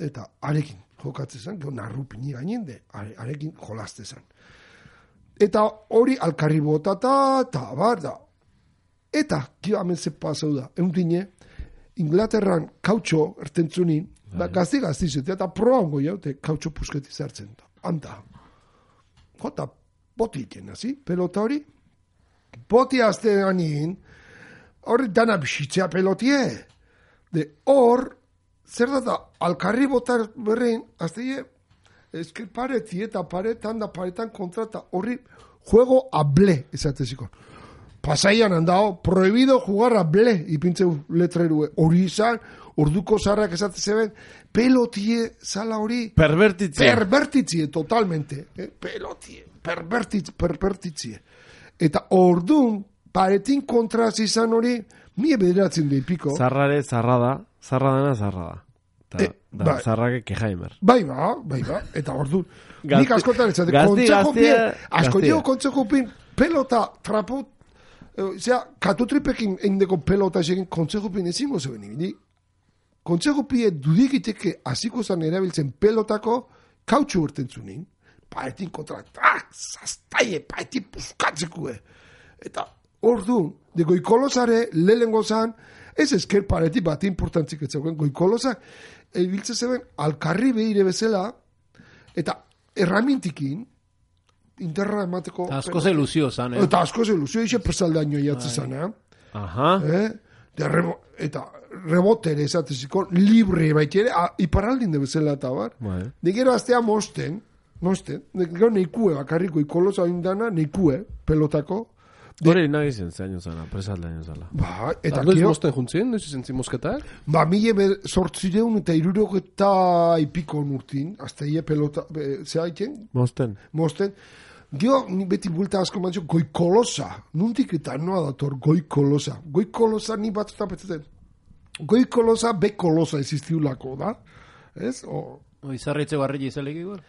Speaker 5: Eta arekin jokatzezan, gero narrupini gainende, arekin jolaztezan. Eta hori alkarri botata, eta bar da. Eta, gero hemen ze pasau da, eundine, Inglaterran kautxo ertentzunin, gazti-zete, eta proango jaute kautxo pusketi zartzen da. Anta. Jota, boti iten, hazi? Pelota hori? Boti azte ganin, hori dana bisitzea pelotie. De hor, zer da, alkarri botar berrein, azte esker pareti eta paretan da paretan kontrata, horri juego a ble, esateziko. Pasaian handao, prohibido jugar a ble, ipintzeu letrerue. Hori izan, orduko zarrak esate zeben, pelotie zala hori.
Speaker 3: Pervertitzie,
Speaker 5: totalmente. Pelotie, pervertitzie. Eta ordun, paretin kontraz izan hori, mie bederatzen du ipiko.
Speaker 3: Zarra da. Da, zarrake kejaimer.
Speaker 5: Bai ba. Eta ordun, nik askotan ezate, kontzejopin, pelota, traput, katutripekin eindeko pelota esegin kontzejopin ezingo zeben ibili. Kontzejopie dudikiteke hasiko zan erabiltzen pelotako kautxu urten zunin. Paetin kontra, zaztaie, paetin puskatzekue. Eta orduan, de goikolosare lehengo zan, ez esker pareti bat importantzik etzauen, goikolosak, biltze zeben, alkarri behire bezala, eta erramintikin, interra emateko...
Speaker 4: Asko ze iluzio zan,
Speaker 5: Eta asko ze iluzio, ixe persaldaino jatze zan,
Speaker 3: Aha.
Speaker 5: Eta rebotere esateziko, libre baitiere, iparaldin de bezala eta bar. Digero aztea mosten, gero neikue, bakarriko ikolosa indana, neikue, pelotako.
Speaker 3: Hore nagizen zaino zana, presaldaino zala.
Speaker 5: Ba, eta
Speaker 2: noiz mosten juntzien, noiz izen mosketak?
Speaker 5: Ba, sortzireun eta irurogeta ipiko nurtin, azte ie pelota, zea iten?
Speaker 3: Mosten.
Speaker 5: Dio, ni beti bulta asko mantzio, goikolosa. Nuntik eta noa dator, goikolosa. Goikolosa ni bat tapetzen. Goikolosa, bekolosa existiulako, da? Ez?
Speaker 4: Izarritze barri izelek igual?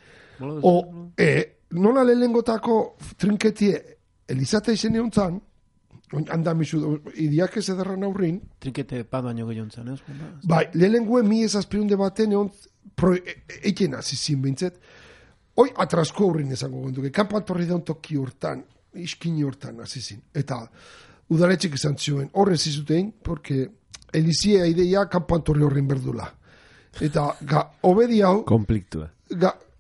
Speaker 5: Nola lehengotako trinketie Elizate izen egon andamizu, idiak ez ederran aurrin.
Speaker 4: Trinkete pat baino gehiago zan, ez?
Speaker 5: Bai, lehenengoen mi ez azpirunde baten egon eiken azizin bintzet. Hoi atrasko aurrin ezango genduke. Kampat porri daun toki hortan, iskini hortan azizin. Eta udaletxik izan zioen. Horrez izutein, porque elizia ideia kampantorri horrin berdula. Eta obedi hau...
Speaker 3: Konfliktua.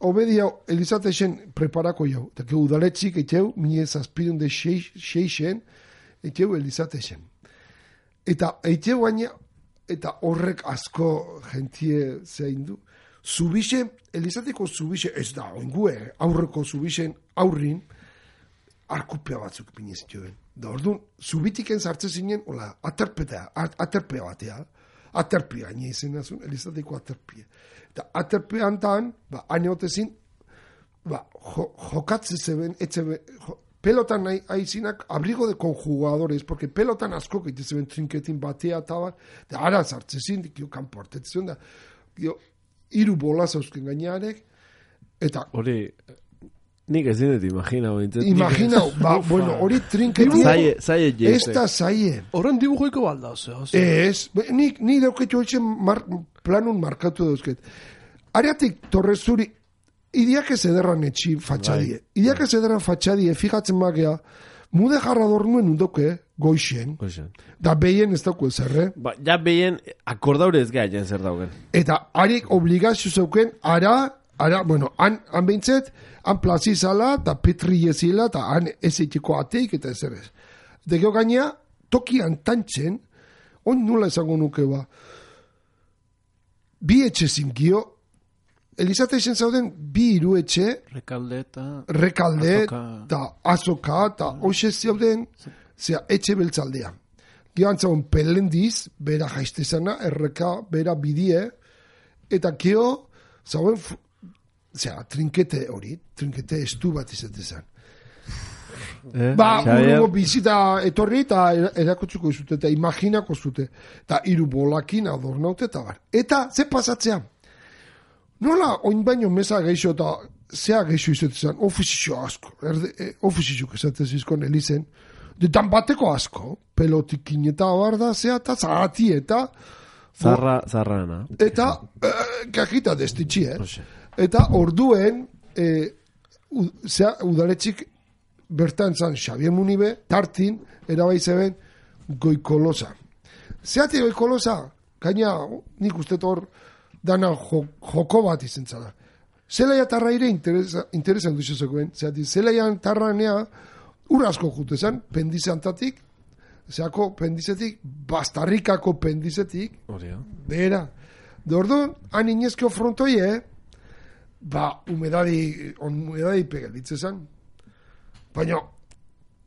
Speaker 5: Obedi hau, Elizate esen preparako jau. Eta que udaletxik etxeu, mine zazpidun de xeixen, etxeu Elizate esen. Eta etxeu baina, eta horrek asko gentie zein du. Zubixe, Elizateko zubixe, ez da, oingue, aurreko zubixen aurrin, arkupea batzuk pinez joen. Da orduan, zubitiken sartze zinen, hola, aterpea batea. Aterpia, nire izan azun, Elizateko aterpia. Eta aterpean tan, hainotezin, jokatze zeben, pelotan nahi aizinak abrigo de konjugadores, porque pelotan asko gaite zeben trinketin batea eta bat, eta ara zartzezin, dikio kanpo hartetzen da, iru bola zauzken gainearek, eta...
Speaker 3: Hori, nik ez dinet imaginau.
Speaker 5: Imaginau, bueno, hori trinketin...
Speaker 3: Zaie jeizek.
Speaker 5: Ez da zaie.
Speaker 2: Horren dibujoiko balda, ozea.
Speaker 5: Ez, ni dauketu etxen planun markatu dauzket. Ariatik torrezuri, idiak ez ederran etxi fatxadie. Idiak ez ederran fatxadie, fijatzen magea, mude jarra dornuen undoke, goixen. Da behien ez dauku ezerre.
Speaker 3: Ja behien akordaure ez geha zer dauken.
Speaker 5: Eta harik obligazio zeuken, bueno, han behintzet, han plazizala, eta petriezila, eta han ez eitiko ateik, eta ez errez. Degeo gainea, tokian tantzen, on nula esango nuke ba, bi etxe zingio, Elizate esen zauden bi hiru etxe,
Speaker 4: Rekalde,
Speaker 5: eta azoka, eta hoxe zauden, zera, etxe beltzaldea. Gio antzagon pelendiz, bera jaistezana, erreka, bera bidie, eta gio, zauden, zera, trinkete hori, trinkete estu bat izatezan. Urrengo bizita etorri eta erakutsuko izute, eta imaginako zute, eta hiru bolakin adornaute eta bar. Eta, ze pasatzea? Nola, oin baino meza geixo eta zea geixo izatezan, ofizio asko, ofizio esatez izkon elizen, detan bateko asko, pelotikin eta barda, zea eta zagati eta...
Speaker 3: Zarrana.
Speaker 5: Eta, kajita destitxi, Eta orduen, zea udaletxik bertan zan Xavier Munibe, tartin, erabaizeben goikolosa. Zeate goikolosa, gaina nik uste hor dana joko bat izen zara. Zelaia tarra ere interesan duzezokoen. Zeati, zelaia tarranea urasko jutezan, pendizantatik, zeako pendizetik, bastarrikako pendizetik, behera. De orduan, han inezkeo frontoie, humedadi pegelditzezan. Baina,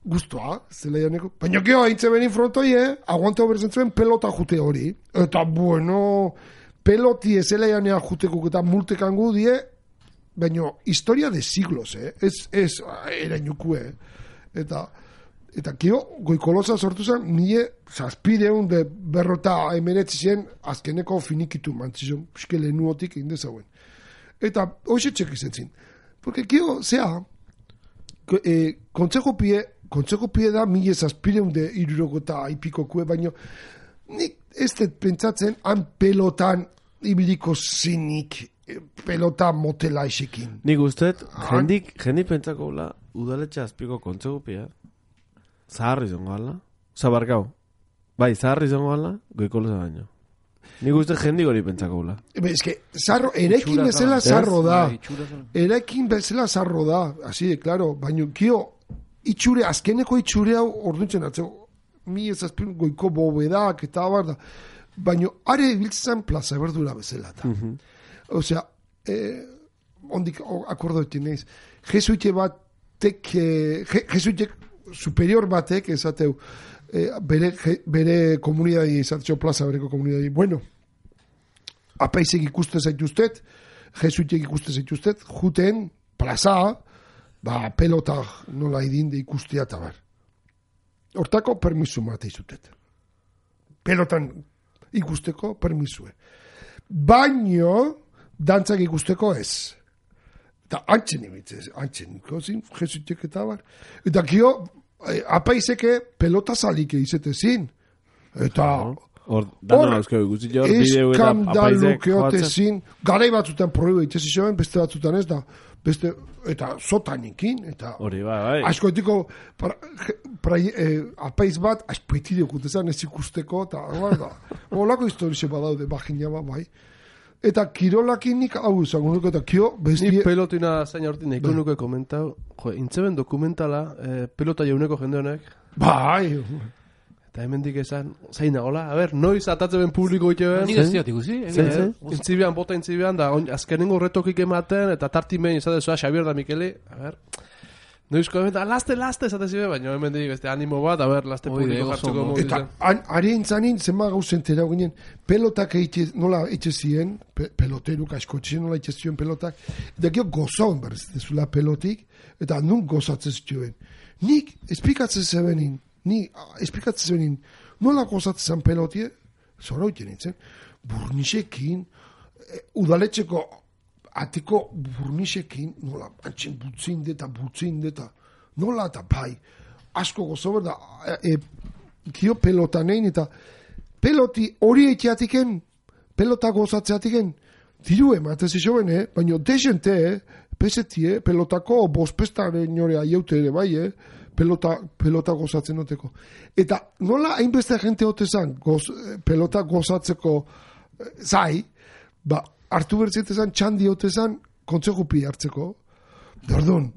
Speaker 5: guztua, Zelaianeko. Baina geho, haintze benin frontoie, aguanteo berzen zuen pelota jute hori. Eta, bueno, peloti Zelaianea juteko eta multekangu die, baina historia de siglos, ez erainukue. Eta kio, goikolosa sortu zen, nire zazpideun de berrota emeretzien azkeneko finikitu mantzizun, piske lehenuotik indezauen. Eta hoxe txek izan zin. Porque kio, zea, kontzejo pie da mila zazpideun de iruroko eta aipikokue, baina nik ez dut pentsatzen han pelotan ibiliko zinik pelota motela isekin.
Speaker 3: Nik usteet, jendik pentsako gula, udaletxe azpiko kontzejo pie, zaharri zongo ala? Zabarkau. Bai, zaharri zongo ala, goikolosa baino. Nik uste jendik hori pentsako gula.
Speaker 5: Ez que, erekin bezala zarro da. Erekin bezala zarro da. Así de, claro. Baina, kio, azkeneko itxure hau orduntzen atzeo. Mi ez azpin goiko bobedak eta abar da. Baina, are biltzen plaza berdura bezala. Osea, ondik akordoetin neiz. Jesuite batek, jesuitek superior batek esateu bere komunidadi izatxo plaza bereko komunidadi. Bueno, apaizek ikuste zaituztet, jesuitek ikuste zaituztet, juten plaza, pelota nola idinde ikustea eta bar. Hortako permisu mate izutet. Pelotan ikusteko permisue. Baino, dantzak ikusteko ez. Eta antzen imitzez, kozin, jesuitek eta bar. Eta kio, apaizeke pelota zalike izetezin. Eta eskandalukeotezin, garai batzutan proibo itezizioen, beste batzutan ez da, eta zotanikin, eta askoetiko apaiz bat, askoetide okutezan ez ikusteko, eta olako historize badaude, bagina bai. Eta kirolakinik hau izango nuke, eta kio bestie...
Speaker 2: Ni pelotina zain hortin eko nuke komentau, intzeben dokumentala, pelota jauneko jende honek.
Speaker 5: Bai!
Speaker 2: Eta hemendik esan, zain nagola, a ber, noiz atatzeben publiko iteben.
Speaker 4: Ni dezioat ikusi?
Speaker 2: Intzibian, bota intzibian, da azkenengo retokik ematen, eta tartimein izatezua Xabier da Mikeli, a ber... Noizko hemen, laste, esate zibe, baina hemen dik, beste animo bat, a ber, laste publiko jartzeko modu zen.
Speaker 5: Eta, ari entzanin, zenba gauzen tera ginen, pelotak nola eitxe ziren, peloteruk askotxien nola eitxe ziren pelotak, eta gero gozauen berrez, dezula pelotik, eta nun gozatzen zituen. Nik, esplikatzen zebenin, nola gozatzen zen pelotie, zora hoiten nintzen, burnisekin, udaletxeko, atiko burnisekin, nola, antxen butzin deta, nola eta bai, asko gozo berda, kio pelotanein, eta peloti hori eiteatiken, pelota gozatzeatiken, diru ematez isoben, baina desente, pesetie, pelotako bospestaren nore aieute ere, bai, pelota gozatzen noteko. Eta nola hainbeste jente hotezan, pelota gozatzeko zai, hartu bertzetezan, txandi hotezan, kontzejupi hartzeko. Dordun,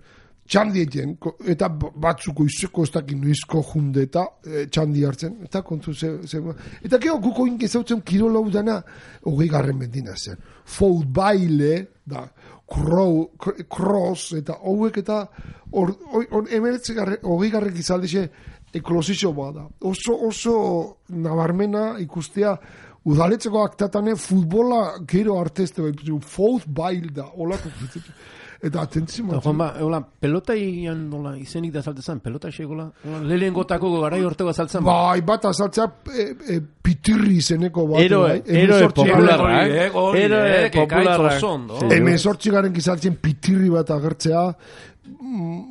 Speaker 5: txandi eten, eta batzuko izeko ez dakin nuizko junde eta txandi hartzen. Eta kontzu eta keo guko ingezautzen kirolau dana, 20. mendina zen. Foutbaile, da, cross, eta hauek eta emeretze 20. izaldixe eklosizio bada. Oso nabarmena ikustea, udaletzeko aktatane futbola gero artezte foutbail da, olako eta atentzima.
Speaker 4: Juanba, pelota izenik da saltezan, pelota esegola, lehen gotako garai hortego azaltzen.
Speaker 5: Bai, bat azaltzea pitirri izeneko bat.
Speaker 3: Eroe popularrak.
Speaker 4: Eroe popularrak.
Speaker 5: Hemen sortxigaren gizaltzen pitirri bat agertzea,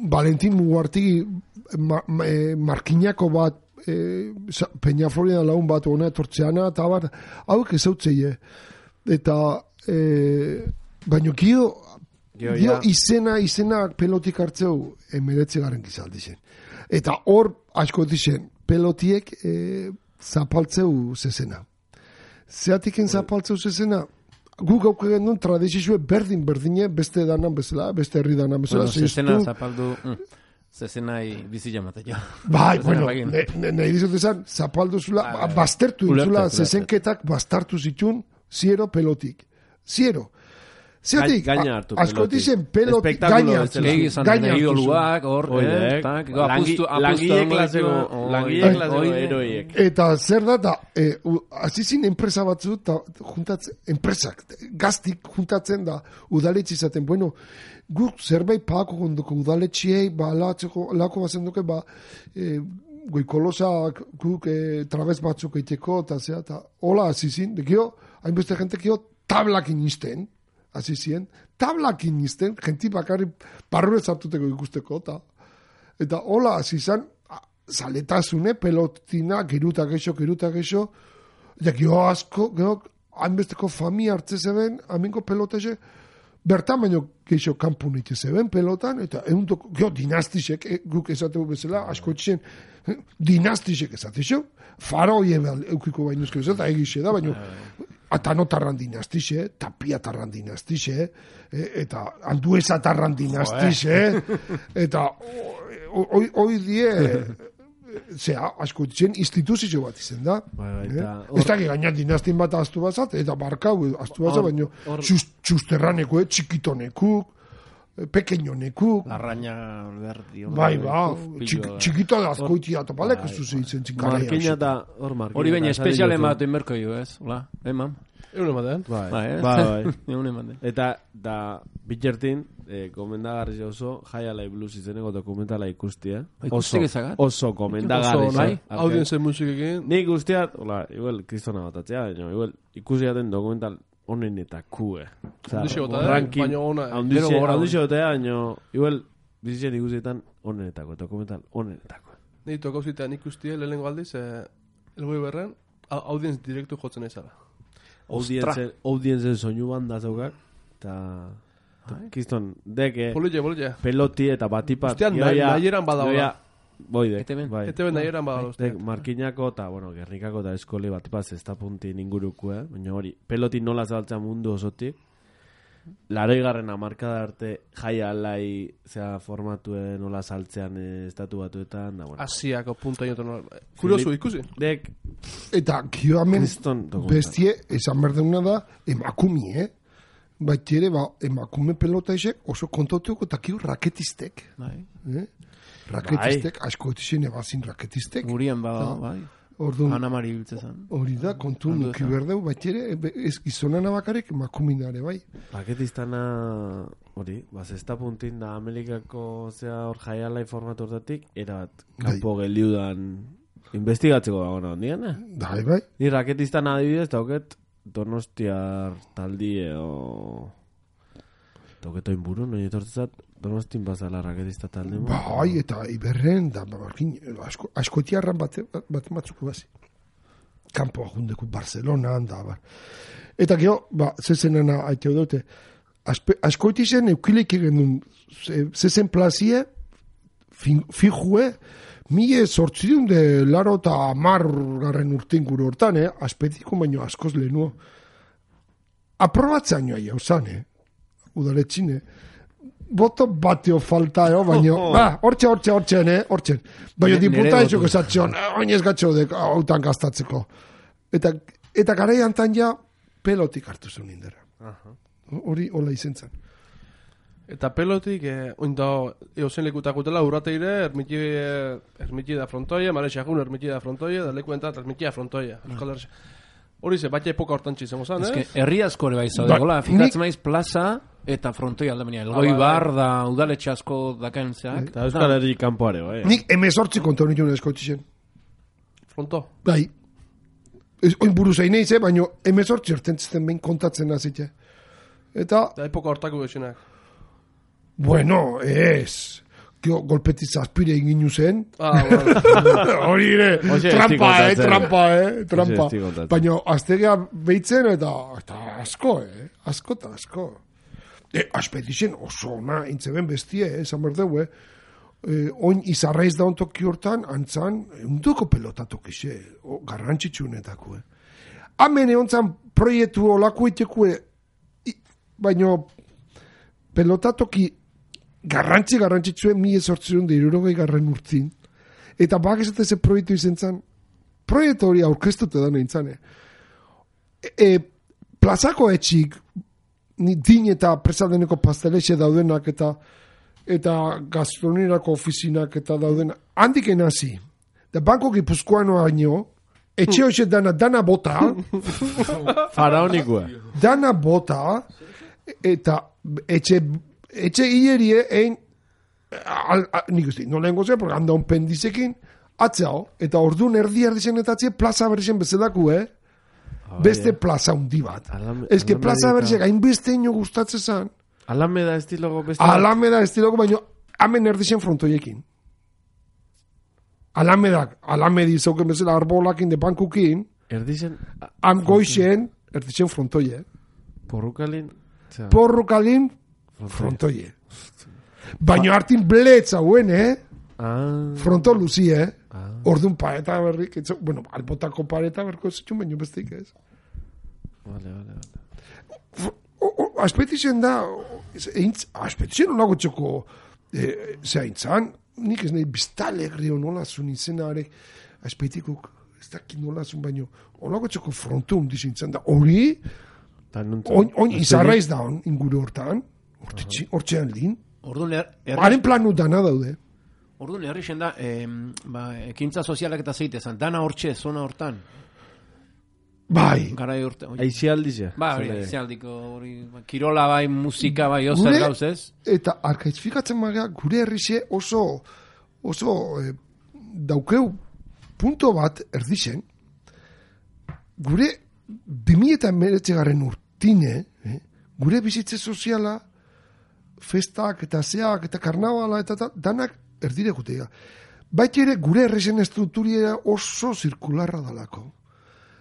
Speaker 5: Valentin Mugartigi markinako bat, Peña Florida lagun bat hona etortzeana, eta bar, hauek ezautzeie. Eta, baino kio izena pelotik hartzeu emeretze garen gizaldi zen. Eta hor, asko dizen, pelotiek zapaltzeu zezena. Zeatiken zapaltzeu zezena, guk gauk egin duen tradizizue berdine, beste danan bezala, beste herri danan bezala.
Speaker 4: Zezena zapaldu... Zezenai bizila matea.
Speaker 5: Bai, bueno, nahi dizotezan, zapaldu zula, baztertu zula, zezenketak baztartu zitun, ziero pelotik. Ziero. Zeatik,
Speaker 3: gaina hartu
Speaker 5: askotizen peloti gaina hartu.
Speaker 4: Gaina hartu.
Speaker 3: Langile klaseko heroiek.
Speaker 5: Eta zer da, azizin enpresa batzu, enpresak, gaztik juntatzen da, udaletxe izaten, bueno, guk zerbait paako gondoko udaletxiei, lako bazen duke, goikolosak guk trabez batzuk eiteko, eta hola azizin, dekio, hainbeste jentekio, tablakin izten, azizien, tablakin izten, jenti bakarri parrure zartuteko ikusteko, eta hola azizan, zaletasune, pelotina, gerutak eixo, eta gio asko, hainbesteko familia hartze zeben, aminko pelotese, bertan baino geixo kanpun ite zeben pelotan, eta gio dinastisek, guk esategu bezala, asko etxen, dinastisek esatexo, faroi eukiko bainuzko ez, eta egixe da, baino, atanotarran dinastixe, tapiatarran dinastixe, eta anduezatarran dinastixe, eta hoi die, asko etxen instituzio bat izen da. Ez da gaina dinastin bat aztu bazat, eta barkau aztu bazat, baino txusterraneku, txikitonekuk, pequeñonekuk.
Speaker 4: Larraña alberdi.
Speaker 5: Txikito da azkoitia topalek ez duzu izen txinkaria.
Speaker 3: Markina da, hor markina.
Speaker 4: Hori baina espeziale matu inberko jo, ez? Hola, mam?
Speaker 2: Egun ematen.
Speaker 3: Bai. Eta da bitxertin, komendagarri oso, High Alive Blues izeneko dokumentala ikustia. Oso komendagarri.
Speaker 2: Audienzen musikekin.
Speaker 3: Nik guztiat, hola, igual kristona batatzea, igual ikusiaten dokumental onenetaku,
Speaker 2: baina ona.
Speaker 3: Handixo eta, igual bizitzen ikusietan onenetako, dokumental onenetako.
Speaker 2: Ni tokauzitan ikustie, lehenengo aldiz, elgoi berren, audienz direktu jotzen ezala.
Speaker 3: Audienzen soinu banda zaukak, eta kiston, deke
Speaker 2: Polilla.
Speaker 3: Peloti eta batipat.
Speaker 2: Ostean, nahieran badaula.
Speaker 3: Boide.
Speaker 2: Eteben nahieran badaula.
Speaker 3: Markinako eta, Gernikako eta eskoli batipaz ez da punti ninguruko, baina hori, peloti nola zabaltza mundu osotik, 80. hamarkada arte High Alive zea formatuen nola saltzean estatu batuetan,
Speaker 2: Asiako punta inotan. Kuriosu ikusi.
Speaker 5: Eta kio hemen bestie, esan berduna da, emakumie, baitere, emakume pelota esek oso kontautuko eta kio raketistek. Raketistek, asko etxen ebazin raketistek.
Speaker 4: Gurien bai. Ana Mari biltzezan.
Speaker 5: Hori da, kontu nuki berdeu, baitere, ez gizonana bakarek emakuminare, bai.
Speaker 3: Raketistana, hori, ez da puntin da Amerikako zea hor High Alive formatu hortatik, erabat, kanpo geliudan investigatzeko dagoena ondian,
Speaker 5: Bai.
Speaker 3: Ni raketistana adibidez, dauket Donostiar taldie o... Dauket oin buru, noin etortzat, Donostin bazala raketista talde.
Speaker 5: Bai, eta iberren, da, askotiarran bat matzuko bazi. Kampo ahundeku Barcelona, da, Eta geho, zezenena haiteu dute, askoitizen eukileik egendun, zezen plazie, fijue, mie sortzidun de laro eta 10 urtein gure hortan, aspetiko baino askoz lehenuo. Aprobatzen joa jauzan, udaletxine. Boto bateo falta, baino, hortzen. Baina diputa etxok esatzion, oinez gatxo dek, hautan gaztatzeko. Eta garaian tan ja, pelotik hartu zuen indera. Hori, hola izen zen.
Speaker 2: Eta pelotik, oinda, eusen lekutakutela, urrateire, ermitsi da frontoia, mare xagun ermitsi da frontoia, da leku entat ermitsi da frontoia. Hori ze, baita epoka hortan txizengo zan,
Speaker 4: herri askore bai zaudegola, fikatzen maiz plaza eta frontoi aldamenia. Elgoi bar da udaletxe asko dakaen zeak.
Speaker 3: Eta Euskal Herri kanpoare, bai.
Speaker 5: Nik emezortzi konta hori joan eskotizen.
Speaker 2: Fronto?
Speaker 5: Bai. Oin buru zainei ze, baina emezortzi ertentzten behin kontatzen nazite. Eta
Speaker 2: epoka hortako bezinak.
Speaker 5: Bueno, ez. Golpetiz aspire inginu zen. Hori ere, trampa. Baina aztegea behitzen eta asko, asko. Aspetizen oso ona, intzeben bestie, esan berdeu, oin izarraiz da ontoki hortan, antzan, unduko pelotatok ise, garrantzitsunetako. Hemen egontzan proiektu olako itekue, baina pelotatoki garrantzitsuen 1860 urtzin. Eta bak esate ze proiektu izen zan, proiektu hori aurkeztute da nintzen. Plazako etxik din eta presadeneko pastelexe daudenak eta gastronerako ofizinak eta daudenak. Handik enazi. Da banko gipuzkoanoa baino, etxe hoxe dana bota.
Speaker 3: Faraonikoa.
Speaker 5: Dana bota, eta etxe hilerie egin, nik uste, nola engo zen, porque handa un pendizekin, atzao, eta orduan erdi zen eta atzie plaza berrixen bezalaku, beste plaza hundi bat. Ez que plaza berrixen hainbeste ino gustatzen zan.
Speaker 3: Alameda estilogo beste.
Speaker 5: Alameda estilogo, baina hemen erdixen frontoiekin. Alamedi zauken bezala arbolakin de bankukin,
Speaker 3: erdixen...
Speaker 5: goixen, erdixen frontoie. Porrukalin frontoie. Baina hartin bletza huen, fronto luzi, orduan pareta berrik, bueno, albotako pareta berko zetxun, baina bestik ez.
Speaker 3: Vale.
Speaker 5: Aspetixen da, aspetixen olago txoko, zeintzan, nik ez nahi biztalegri nola zun izenare, aspetikuk, ez dakit nola zun, baina olago txoko fronto hundizintzen da, hori, on izarraiz da on, inguru hortan, hortxean lin, haren planu dana daude.
Speaker 4: Orduan, herrixen da, ekintza sozialak eta zeitezan, dana hortxe, zona hortan.
Speaker 5: Bai.
Speaker 4: Garai urte.
Speaker 3: Aizialdizia.
Speaker 4: Aizialdiko, kirola bai, musika bai, ozer gauz ez.
Speaker 5: Eta arkaizfikatzen maga, gure herrixe oso daukeu punto bat erdixen, gure 2019 urtine, gure bizitze soziala, festak eta zeak eta karnavala eta danak erdire gutea. Baita ere gure herrixen estrukturiera oso zirkularra dalako.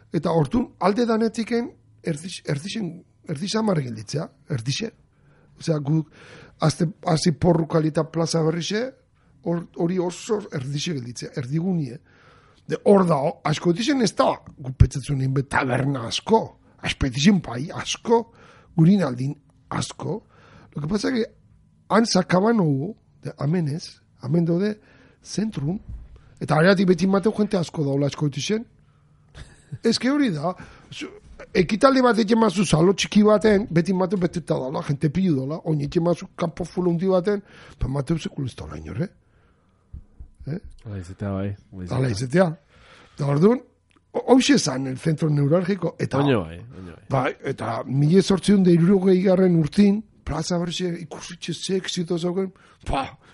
Speaker 5: Eta hortun alde danetiken erdixan marri gilditzea, erdixe. Osea, guk hazi porrukalita plaza berrixe, hori oso erdixe gilditzea, erdigunie. Hor da, asko dixen ez da, gupetzetzen egin taberna asko, aspetixen pai asko, gurin aldin asko. Lo que pasa que han sakaban hugo, amen dode, zentrun, eta areatik beti mateu jente asko daula asko dixen. Ez que hori da, ekitaldi bat egin mazu zalo txiki baten, beti mateu betuta daula, jente pilu daula, oin egin mazu kampo fulundi baten, pa mateu sekulizta hola inor,
Speaker 3: Ala izetea bai.
Speaker 5: Ala izetea. Da orduan, hoxe zan, el centro neurálgico, eta...
Speaker 3: Oño bai.
Speaker 5: Eta 1860 urtin, plaza berxe ikusitxe sexito zauken,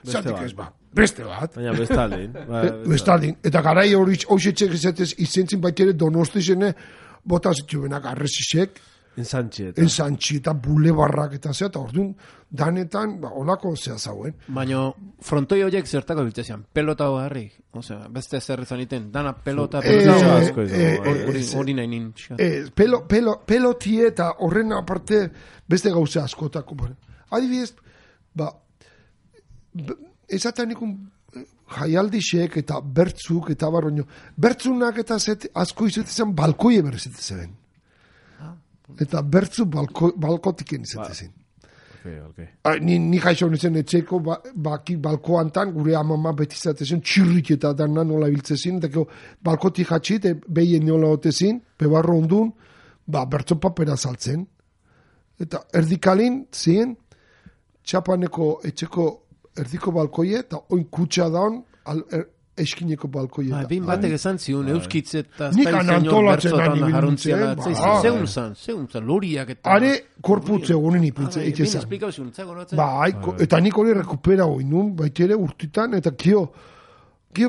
Speaker 5: zatik ez beste bat.
Speaker 3: Baina bestalin.
Speaker 5: Bestalin. Eta garai hori hoxe txek izatez izentzin baitere donostizene bota zituenak arrezisek. Enzantxi eta bulebarrak eta zea, eta orduan danetan, olako zea zauen.
Speaker 4: Baina frontoi horiek zertako biltzean, pelota harri. Osea, beste zer izan iten, dana pelota hori nahi nin.
Speaker 5: Pelotie eta horren aparte beste gauze askotako. Adibidez, ezaten ikun jaialdixek eta bertzuk eta baroño. Bertzunak eta asko izatezen balkoie berrezetezen. Eta bertzu balkotiken izatezen.
Speaker 3: Okay.
Speaker 5: Ni jaixo nizen etxeko baki balkoantan gure amama beti izatezen txirrik eta dana nola biltzezin eta balkotik jatxit behien nola otezin pebarro ondun bertzo papera saltzen eta erdikalin zien txapaneko etxeko erdiko balkoie eta oin kutsa daun eskineko balkoie.
Speaker 4: Bin batek esan ziun, euskitze eta
Speaker 5: nik anantolatzen ani
Speaker 4: biluntzen. Zeun zan, loriak eta...
Speaker 5: Are korputze egunen ipintze, itxezan. Eta nik hori rekupera hoi nun, baitere urtitan, eta kio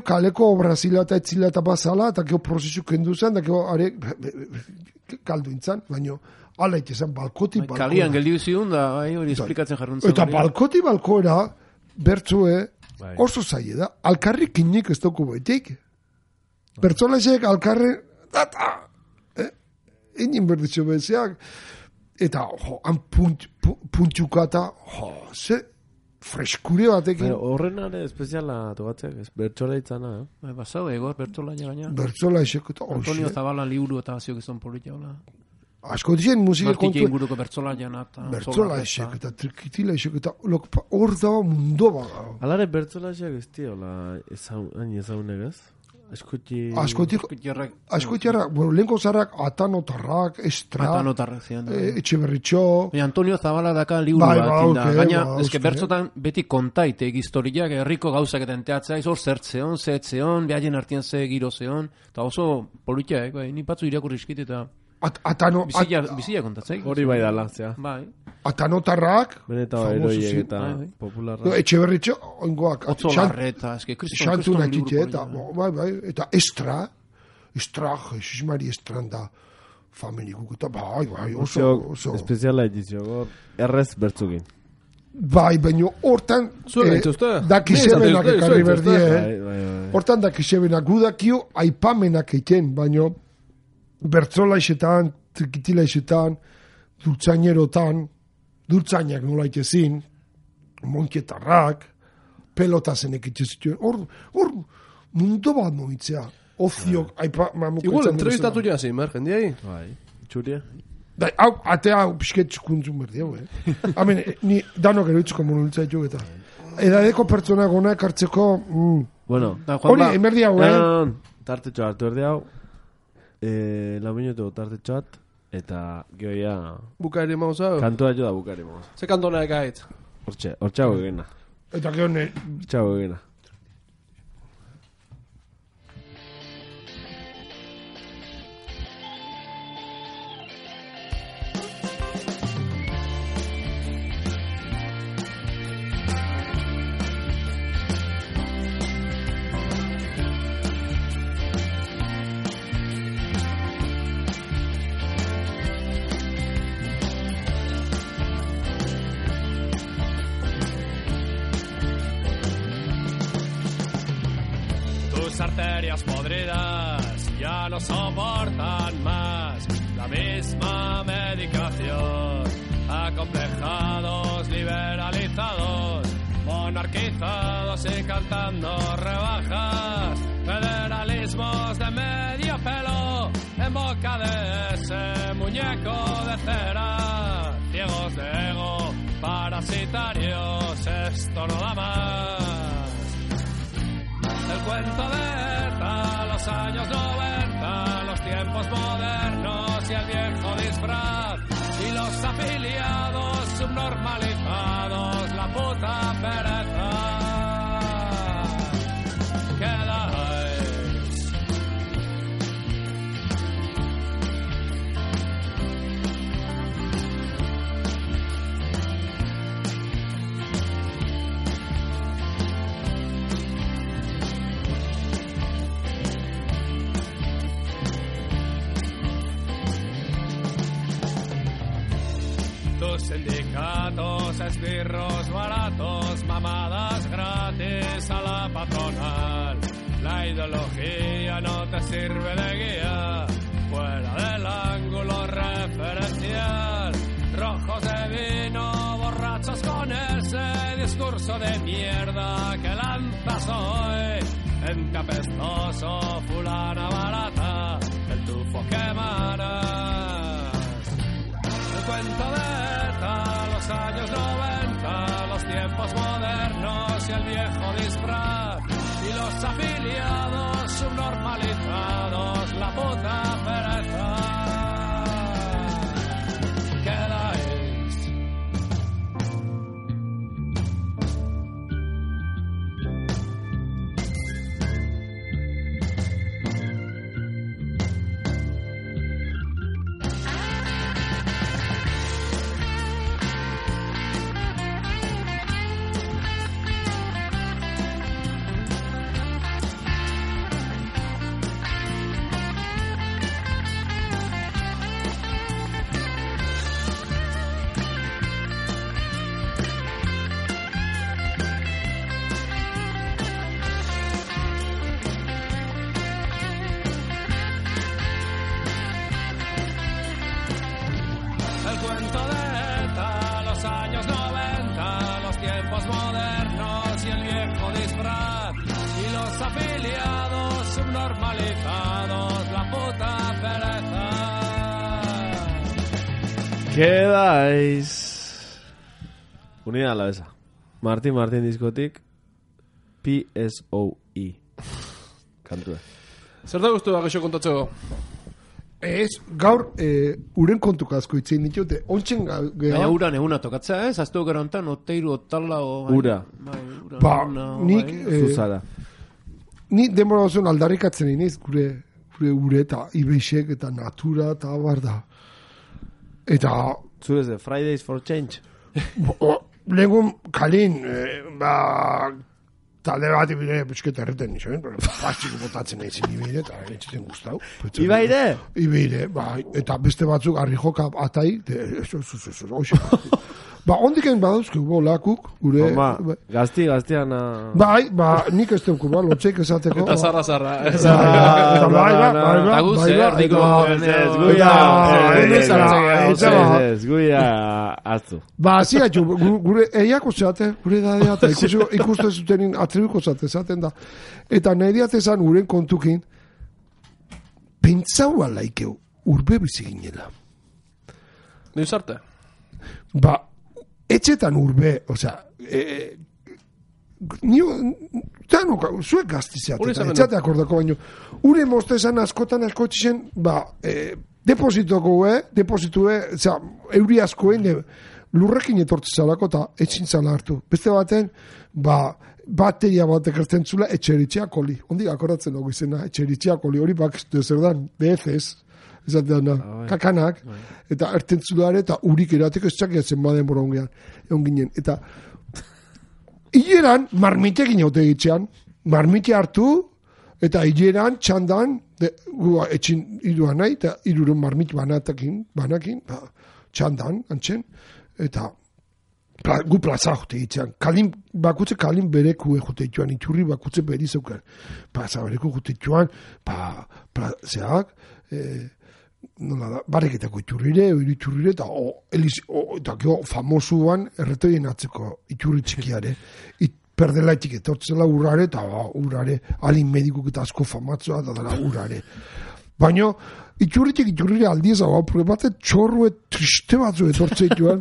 Speaker 5: kaleko obrazila eta etzila eta bazala, eta kio prozesu kendu zen, eta kio are kaldu intzan, baina ala itxezan, balkoti balkoera.
Speaker 4: Kalian geldiu ziun, da hori esplikatzen jarruntzen.
Speaker 5: Eta balkoti balkoera, bertzue, oso zaie da, alkarri kinik ez dugu baitik. Bertzolazek alkarri, inin berditxo bezeak, eta han puntxukata, ze freskure batekin.
Speaker 3: Horren are espeziala togatzeak, bertzola itzana.
Speaker 4: Basau, egor, bertzola gaina.
Speaker 5: Bertzola esek eta
Speaker 4: Antonio Zabala liburu eta ziok izan politia hola.
Speaker 5: Asko dien musika kontu...
Speaker 4: Martiki inguruko bertzola jana.
Speaker 5: Bertzola esek eta trikitila esek eta hor da mundo baga.
Speaker 3: Alare bertzola esek ez di, hola, hain ezaunek ez?
Speaker 5: Askotierrak, bueno, lehenko zarrak, Atanotarrak, Estra, Etxeberritxo...
Speaker 4: Antonio Zabala daka liburu bat, gaina, eske bertzotan beti kontaitek historiak, herriko gauzak eta enteatzea, hor zertzeon, zehetzeon, behaien artian ze girozeon, eta oso politia, ni batzu irakurrizkit eta... Bizia kontatzei.
Speaker 3: Hori bai da lantzea.
Speaker 4: Bai.
Speaker 5: Atanotarrak,
Speaker 3: beneta eroiek eta popularra.
Speaker 5: Etxeberritxo, oingoak.
Speaker 4: Otzo Larreta, eske
Speaker 5: Xantu nakitxe, eta Estra, Jesus Mari Estranda, familikuk, eta bai, oso.
Speaker 3: Espeziala edizio, errez bertzukin.
Speaker 5: Bai, baina hortan dakizebenak ekarri berdie. Hortan dakizebenak gudakio aipamenak egiten, baina bertzolaizetan, trikitilaizetan, dultzainak nola itezin, monkietarrak, pelotazen ekitezituen. Hor mundu bat noitzea. Oziok,
Speaker 2: igual, entrevistatu jazin, jendiai?
Speaker 3: Bai, txuria.
Speaker 5: Hau, atea pixket txukuntzun berdiau, Hamen, ni danok eroitzko monultzaitu eta. Edadeko pertsona gona ekartzeko...
Speaker 3: Bueno,
Speaker 5: hori, emerdi hau,
Speaker 3: tartetxo hartu erdi hau. Lauminutu tartetxoat. Eta gehoia...
Speaker 2: Bukaeri mauzau?
Speaker 3: Kantua jo da bukaeri mauzau.
Speaker 2: Ze kantona ekaitz?
Speaker 3: Hortxago egena.
Speaker 5: Eta geone...
Speaker 3: Hortxago egena.
Speaker 6: Arterias podridas ya no soportan más la misma medicación. Acomplejados, liberalizados, monarquizados y cantando rebajas. Federalismos de medio pelo en boca de ese muñeco de cera. Ciegos de ego, parasitarios, esto no da más. El cuento de ETA, los años 90, los tiempos modernos y el viejo disfraz. Y los afiliados subnormalizados, la puta pereza. Quedáis. Sindicatos, esbirros baratos, mamadas gratis a la patronal. La ideología no te sirve de guía, fuera del ángulo referencial. Rojos de vino, borrachos con ese discurso de mierda que lanzas hoy. Ente apestoso, fulana barata, el tufo que emanas. El cuento de los años 90, los tiempos modernos y el viejo disfraz. Y los afiliados subnormalizados, la puta pereza. Quedáis.
Speaker 3: Quedáis. Unida a la besa. Martín diskotik PSOE. kantua.
Speaker 2: Zer da guztu da gaixo kontatzeko?
Speaker 5: Ez, gaur uren kontuk asko itzen ditute. Ontsen
Speaker 4: Baina uran eguna tokatzea, ez? Aztu gero ontan, oteiru, otala,
Speaker 3: Ura.
Speaker 5: Ba, nik...
Speaker 3: Zuzara.
Speaker 5: Ni denbora osoan aldarrikatzen iniz, gure ure eta ibeixek eta natura eta abar da. Eta...
Speaker 3: Zurez de Fridays for Change.
Speaker 5: Lehengun kalin, talde bat ibire busketa erreten nixoen, pastiko botatzen ezin ibire eta etxeten guztau.
Speaker 3: Ibaire?
Speaker 5: Ibire, eta beste batzuk harri joka atai, Ba, ondiken badauzke lakuk, gure...
Speaker 3: Gaztian...
Speaker 5: nik ez teuku, lotxeik esateko...
Speaker 2: Eta zarra.
Speaker 3: Guia, atzu.
Speaker 5: Ba, ziatxu, gure eiako zeate, gure dadea, eta ikuste zutenin atribiko zaten da. Eta nahi diatezan uren kontukin, pentsau alaikeu, urbe bizi ginela.
Speaker 2: Niuz arte?
Speaker 5: Ba, etxetan urbe, osea, zuek gaztizeatetan, etxate akordako baino, ure mostezan askotan askotxen, depositue, osea, euri askoen, lurrekin etortzezalako eta etxin zala hartu. Beste baten, bateria batek ertzen zula etxeritxeakoli. Ondik akordatzen dugu izena, etxeritxeakoli, hori bakiztu zer dan, BFS, ezatean kakanak, eta ertentzulare eta urik erateko ez txakiatzen baden bora egon ginen. Eta hileran marmitekin haute egitzean, marmite hartu, eta hileran txandan, etxin iruan nahi, eta iruren marmit banakin, txandan, antzen, eta gu plaza jote egitzean. Bakutze kalin bereku jote egitzean, iturri bakutze beri zeuken. Plaza bereku jote egitzean, zeak, nola da, bareketako iturrire, eta gero famosuan erretoien atzeko iturri txikiare, perdelaitik etortzela urrare, eta urrare, alin medikuk eta asko famatzua, eta dara urrare. Baina, iturrire aldiez hau, bate txorru triste batzu etortze joan,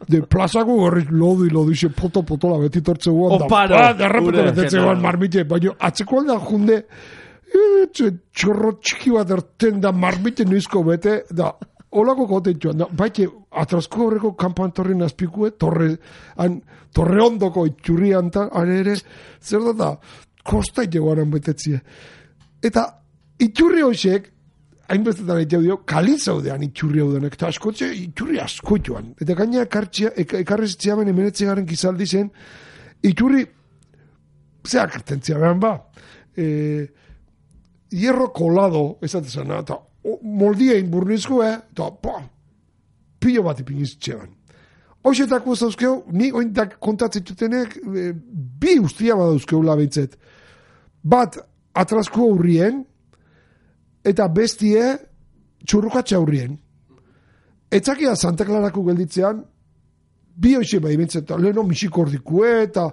Speaker 5: de plazako gorri lodi, xe poto-poto beti tortze guan, derrepeto betetze guan marmite, baina atzeko aldean junde, txorro txiki bat erten da marmite nuizko bete, da olako goten joan, da baite atrasko horreko kampantorrin azpikue, torre ondoko itxurri antan, ere, zer da, kosta iteguanan betetzie. Eta itxurri hoxek, hainbestetan egitea dio, kalin zaudean itxurri hau denek, eta askotxe itxurri asko joan. Eta gaina ekarrezitzeamen emenetzegaren gizaldi zen, itxurri, zeak ertentzia behan hierro kolado, esatezan, eta moldiein burnizko, eta pilo bat ipinizitzean. Hoxetako zauzkeo, ni ointak kontatzetutenek, bi ustia badauzkeo labeitzet. Bat, atrasko aurrien, eta bestie, txurrukatxe aurrien. Etzakia Santa Clarako gelditzean, bi hoxe bai bintzet, leheno misikordikue, eta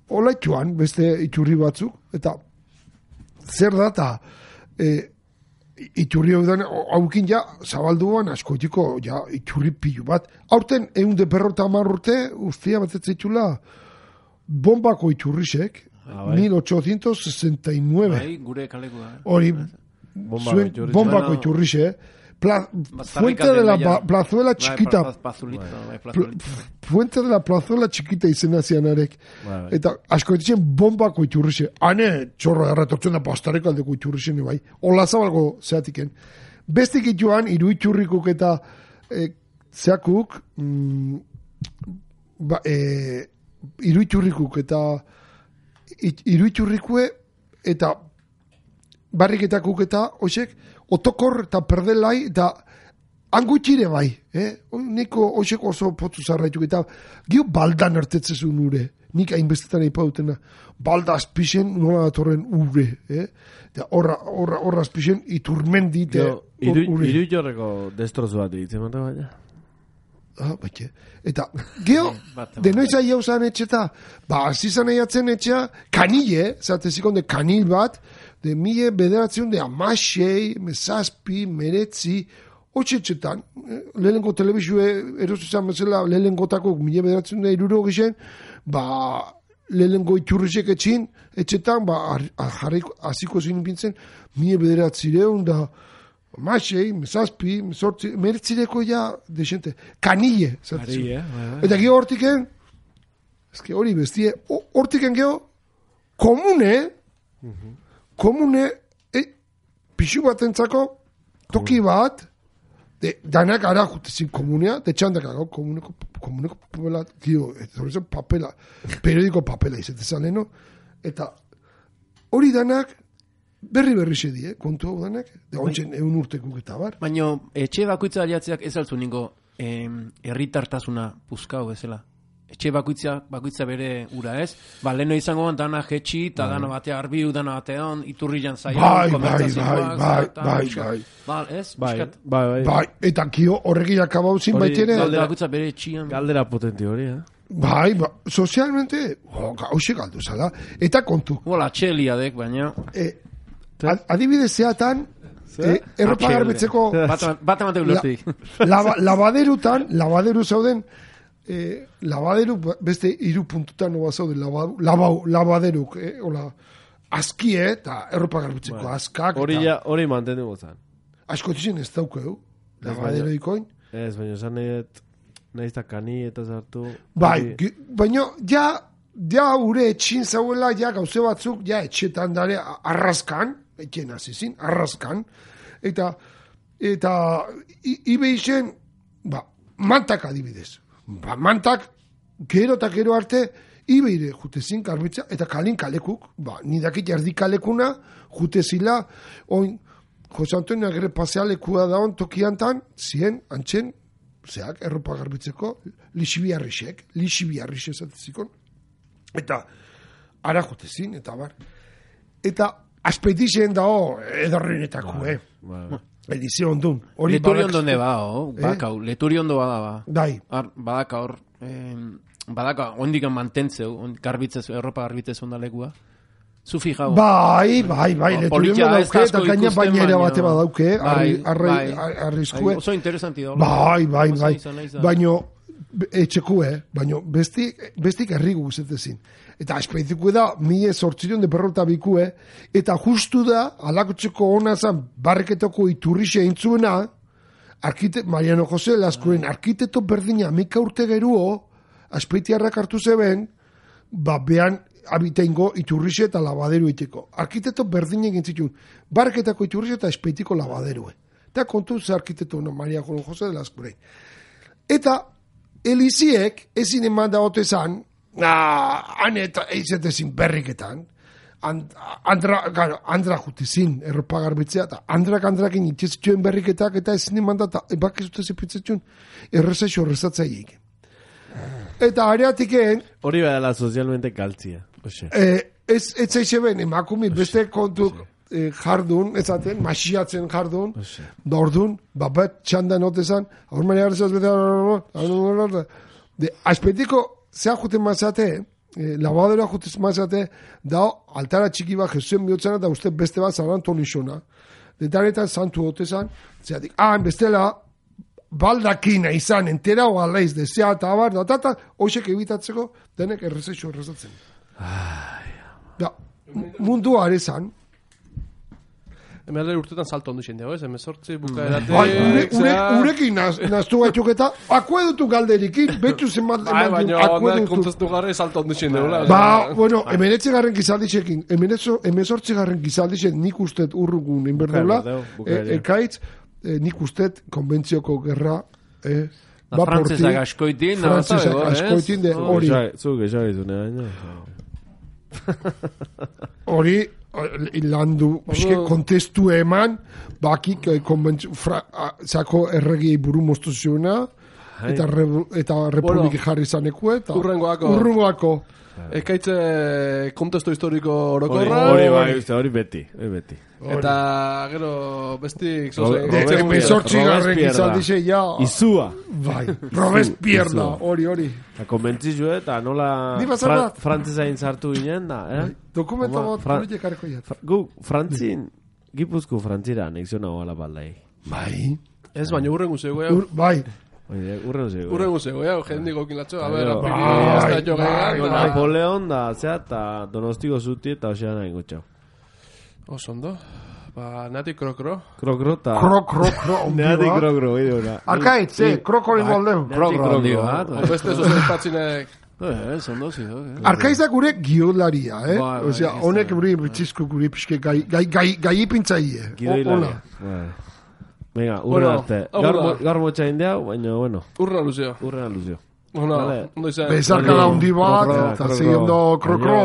Speaker 5: olaituan, beste itxurri batzuk, eta zer da, eta iturri hau den, haukin ja, zabalduan, askotiko, ja, iturri pilu bat. Aurten, 150 urte, ustia batetzeitula, bombako iturrisek, 1869.
Speaker 4: Gure kalekoa.
Speaker 5: Hori, bombako iturrisek, Fuente de la plazuela chiquita. Fuente de la plazuela chiquita izena zianarek. Eta asko ditzen bombako iturrixe. Hane txorro erretortzen da pastareko aldeko iturrixen bai. Ola zabalgo zeatiken. Bestik ituan, iru iturrikuk eta zeakuk iru iturrikuk eta iru iturrikue eta barriketakuk eta oixek otokor eta perdelai eta angutxire bai. Niko oixek oso potzu zarraituk eta gio baldan ertetzezun ure. Nik hainbestetan eipa dutena. Balda azpixen nola datorren ure. Horra azpixen iturmendi ure.
Speaker 3: Iru jorreko destrozu bat ditzen mata baina.
Speaker 5: Baina. Eta, geho, denoiza jauzan etxeta, azizan eiatzen etxea, kanile, zatezikon de kanil bat, de mile bederatzen de amasei, mesazpi, meretzi, otxetxetan, lehenko telebizue erosuzan bezala, lehengotako mile bederatzen de iruro gixen, lehenengo iturrizek etxetan, jarriko, aziko zin pintzen, 1900 da, Masei, mesazpi, mesortzi, mertzireko ja, desente, kanille, eta gero hortiken, ezke hori bestie, hortiken gero, komune, pixu batentzako, toki bat, danak ara jutezin komunea, de txandak agago, komuneko papela, papela, periodiko papela izetezan leheno, eta hori danak, berri sedie, kontu hau danak, da ontsen egun urtekuk eta bar.
Speaker 4: Baina, etxe bakoitza aliatzeak ez altzu ningo herritartasuna puzkau ezela. Etxe bakoitza bere ura ez. Ba, leheno izango ban, dana jetxi, eta dana batea arbiu, dana batean, iturri jantzaian, komertzazioak.
Speaker 5: Bai, eta kio horrekin akabau zin baitere.
Speaker 4: Galdera bakoitza bere etxian.
Speaker 3: Galdera potenti hori,
Speaker 5: Bai, sozialmente, hause galdu zala. Eta kontu.
Speaker 4: Bola, txeliadek, baina...
Speaker 5: Adibidez zeatan, erropa garbitzeko...
Speaker 4: Bat amate ulertik.
Speaker 5: Labaderu zauden, labaderu beste 3 puntutan noa zauden, labaderuk, azkie eta erropa garbitzeko azkak.
Speaker 3: Hori mantendu gozan.
Speaker 5: Asko txin ez daukeu, labadero ikoin.
Speaker 3: Ez, baina zan nahiz da kani eta zartu.
Speaker 5: Bai, baina ja ure etxin zauela, ja gauze batzuk, ja etxetan dare arraskan, etxen azizin, arraskan, eta ibe izen, mantak adibidez. Mantak, gero eta gero arte, ibeire jutezin karbitza, eta kalin kalekuk, nidakit jardi kalekuna, jutezila, oin, Jose Antonio agere pasealekua daun tokiantan, zien, antxen, zeak, erropa garbitzeko, lixibiarrisek zatezikon, eta ara jutezin, eta bar. Eta aspetixen dao edorrenetako, Edizio ondun.
Speaker 4: Leturi ondo neba, bakau, leturi ondo bada,
Speaker 5: Dai.
Speaker 4: Badaka hor, badaka, ondikan mantentzeu, erropa garbitzez ondalekua. Zu fijau.
Speaker 5: Bai, leturi ondo dauke, eta gaina bainera bate badauke, arriskue.
Speaker 4: Oso interesanti da.
Speaker 5: Bai. Baino, etxekue, baino, bestik errigu guzetezin. Eta aspeitzikue da, 1852, eta justu da, alakotxeko hona zan, barreketako iturrixe intzuena, Mariano Jose Laskoren arkitekto berdina, 1000 urte geruo, aspeitiarrak hartu zeben, behan abiteingo iturrixe eta labaderu iteko. Arkitekto berdina egin zituen, barreketako iturrixe eta espeitiko labaderue. Eta kontu ze arkitekto Mariano Jose Laskoren. Eta, Eliziek, ezin eman da otezan, han eta eizetezin berriketan, andra jutezin erropa garbitzea, eta andrakin itxezituen berriketak, eta ezin eman da, bak ez dute zepitzetun, errezaixo errezatzaiek. Eta areatiken...
Speaker 3: Hori badala sozialmente galtzia.
Speaker 5: Ez zaixe ben, emakumi beste kontu jardun, ezaten, masiatzen jardun, da ordun, bat txandan otezan, hor maria garrizaz bete, aspetiko, zea juten mazate, labadorea juten mazate, da altara txiki bat jesuen bihotzena, da uste beste bat San Antonixona. Detaretan santu otezan, zeatik, bestela, baldakina izan, entera o alaiz, dezea eta abar, da, hoxek ebitatzeko, denek errezeixo errezatzen. Mundu arezan,
Speaker 2: Hemen urtetan salto ondo izan dago, ez? Hemen sortzi bukaeratek...
Speaker 5: Urekin naztu gaituk eta akuedutu galderikin, betxu zenbat...
Speaker 2: Baina, kontaztu garri salto ondo izan dago.
Speaker 5: Bueno, hemen etxegarren gizaldixekin, hemen sortzigarren gizaldixek nik ustet urrugun inberdula, ekaitz, nik ustet konbentzioko gerra...
Speaker 4: Frantzesak askoitin,
Speaker 5: de hori.
Speaker 3: Zuk esagizune baina.
Speaker 5: Hori... landu, kontestu eman, bakik zako erregi buru moztu ziona, eta republiki jarri zaneko, eta urrengoako.
Speaker 2: Ekaitze kontestu historiko orokorra.
Speaker 3: Hori beti.
Speaker 2: Eta gero bestik...
Speaker 5: Emezortzigarren gizaldize, ja...
Speaker 3: Izua.
Speaker 5: Bai, Robespierre, hori.
Speaker 3: Eta konbentzizue, eta nola frantzezain zartu ginen da,
Speaker 5: Dokumenta bat politik harko jat.
Speaker 3: Gu, frantzin, gipuzko frantzira, anexio nago ala baldai.
Speaker 5: Bai.
Speaker 2: Ez, baina urren guzego.
Speaker 5: Bai.
Speaker 2: Urren guzego, ja, jendik okilatxo. A ver, hasta jo gegan.
Speaker 3: Napoleon da, zea, eta Donostiko zuti eta osean nahi gutxau.
Speaker 2: Osondo. Ba, nati krokro.
Speaker 3: Krokro eta...
Speaker 5: Krokro,
Speaker 3: Nati krokro, bideo.
Speaker 5: Arkaitz, krokori moldeu.
Speaker 4: Krokro,
Speaker 2: Beste zuzen patzinek...
Speaker 4: Zondo zido.
Speaker 5: Arkaizak gure giolaria, Osea, honek gure bitxizko gure pixke gai ipintzaie.
Speaker 3: Gidoilaria. Venga, urren arte. Gaur motxa indea, baina, bueno.
Speaker 2: Urren aluzio.
Speaker 3: Urren aluzio.
Speaker 2: Ondo izan.
Speaker 5: Bezarka da hundi bat, eta zehiendo krokro.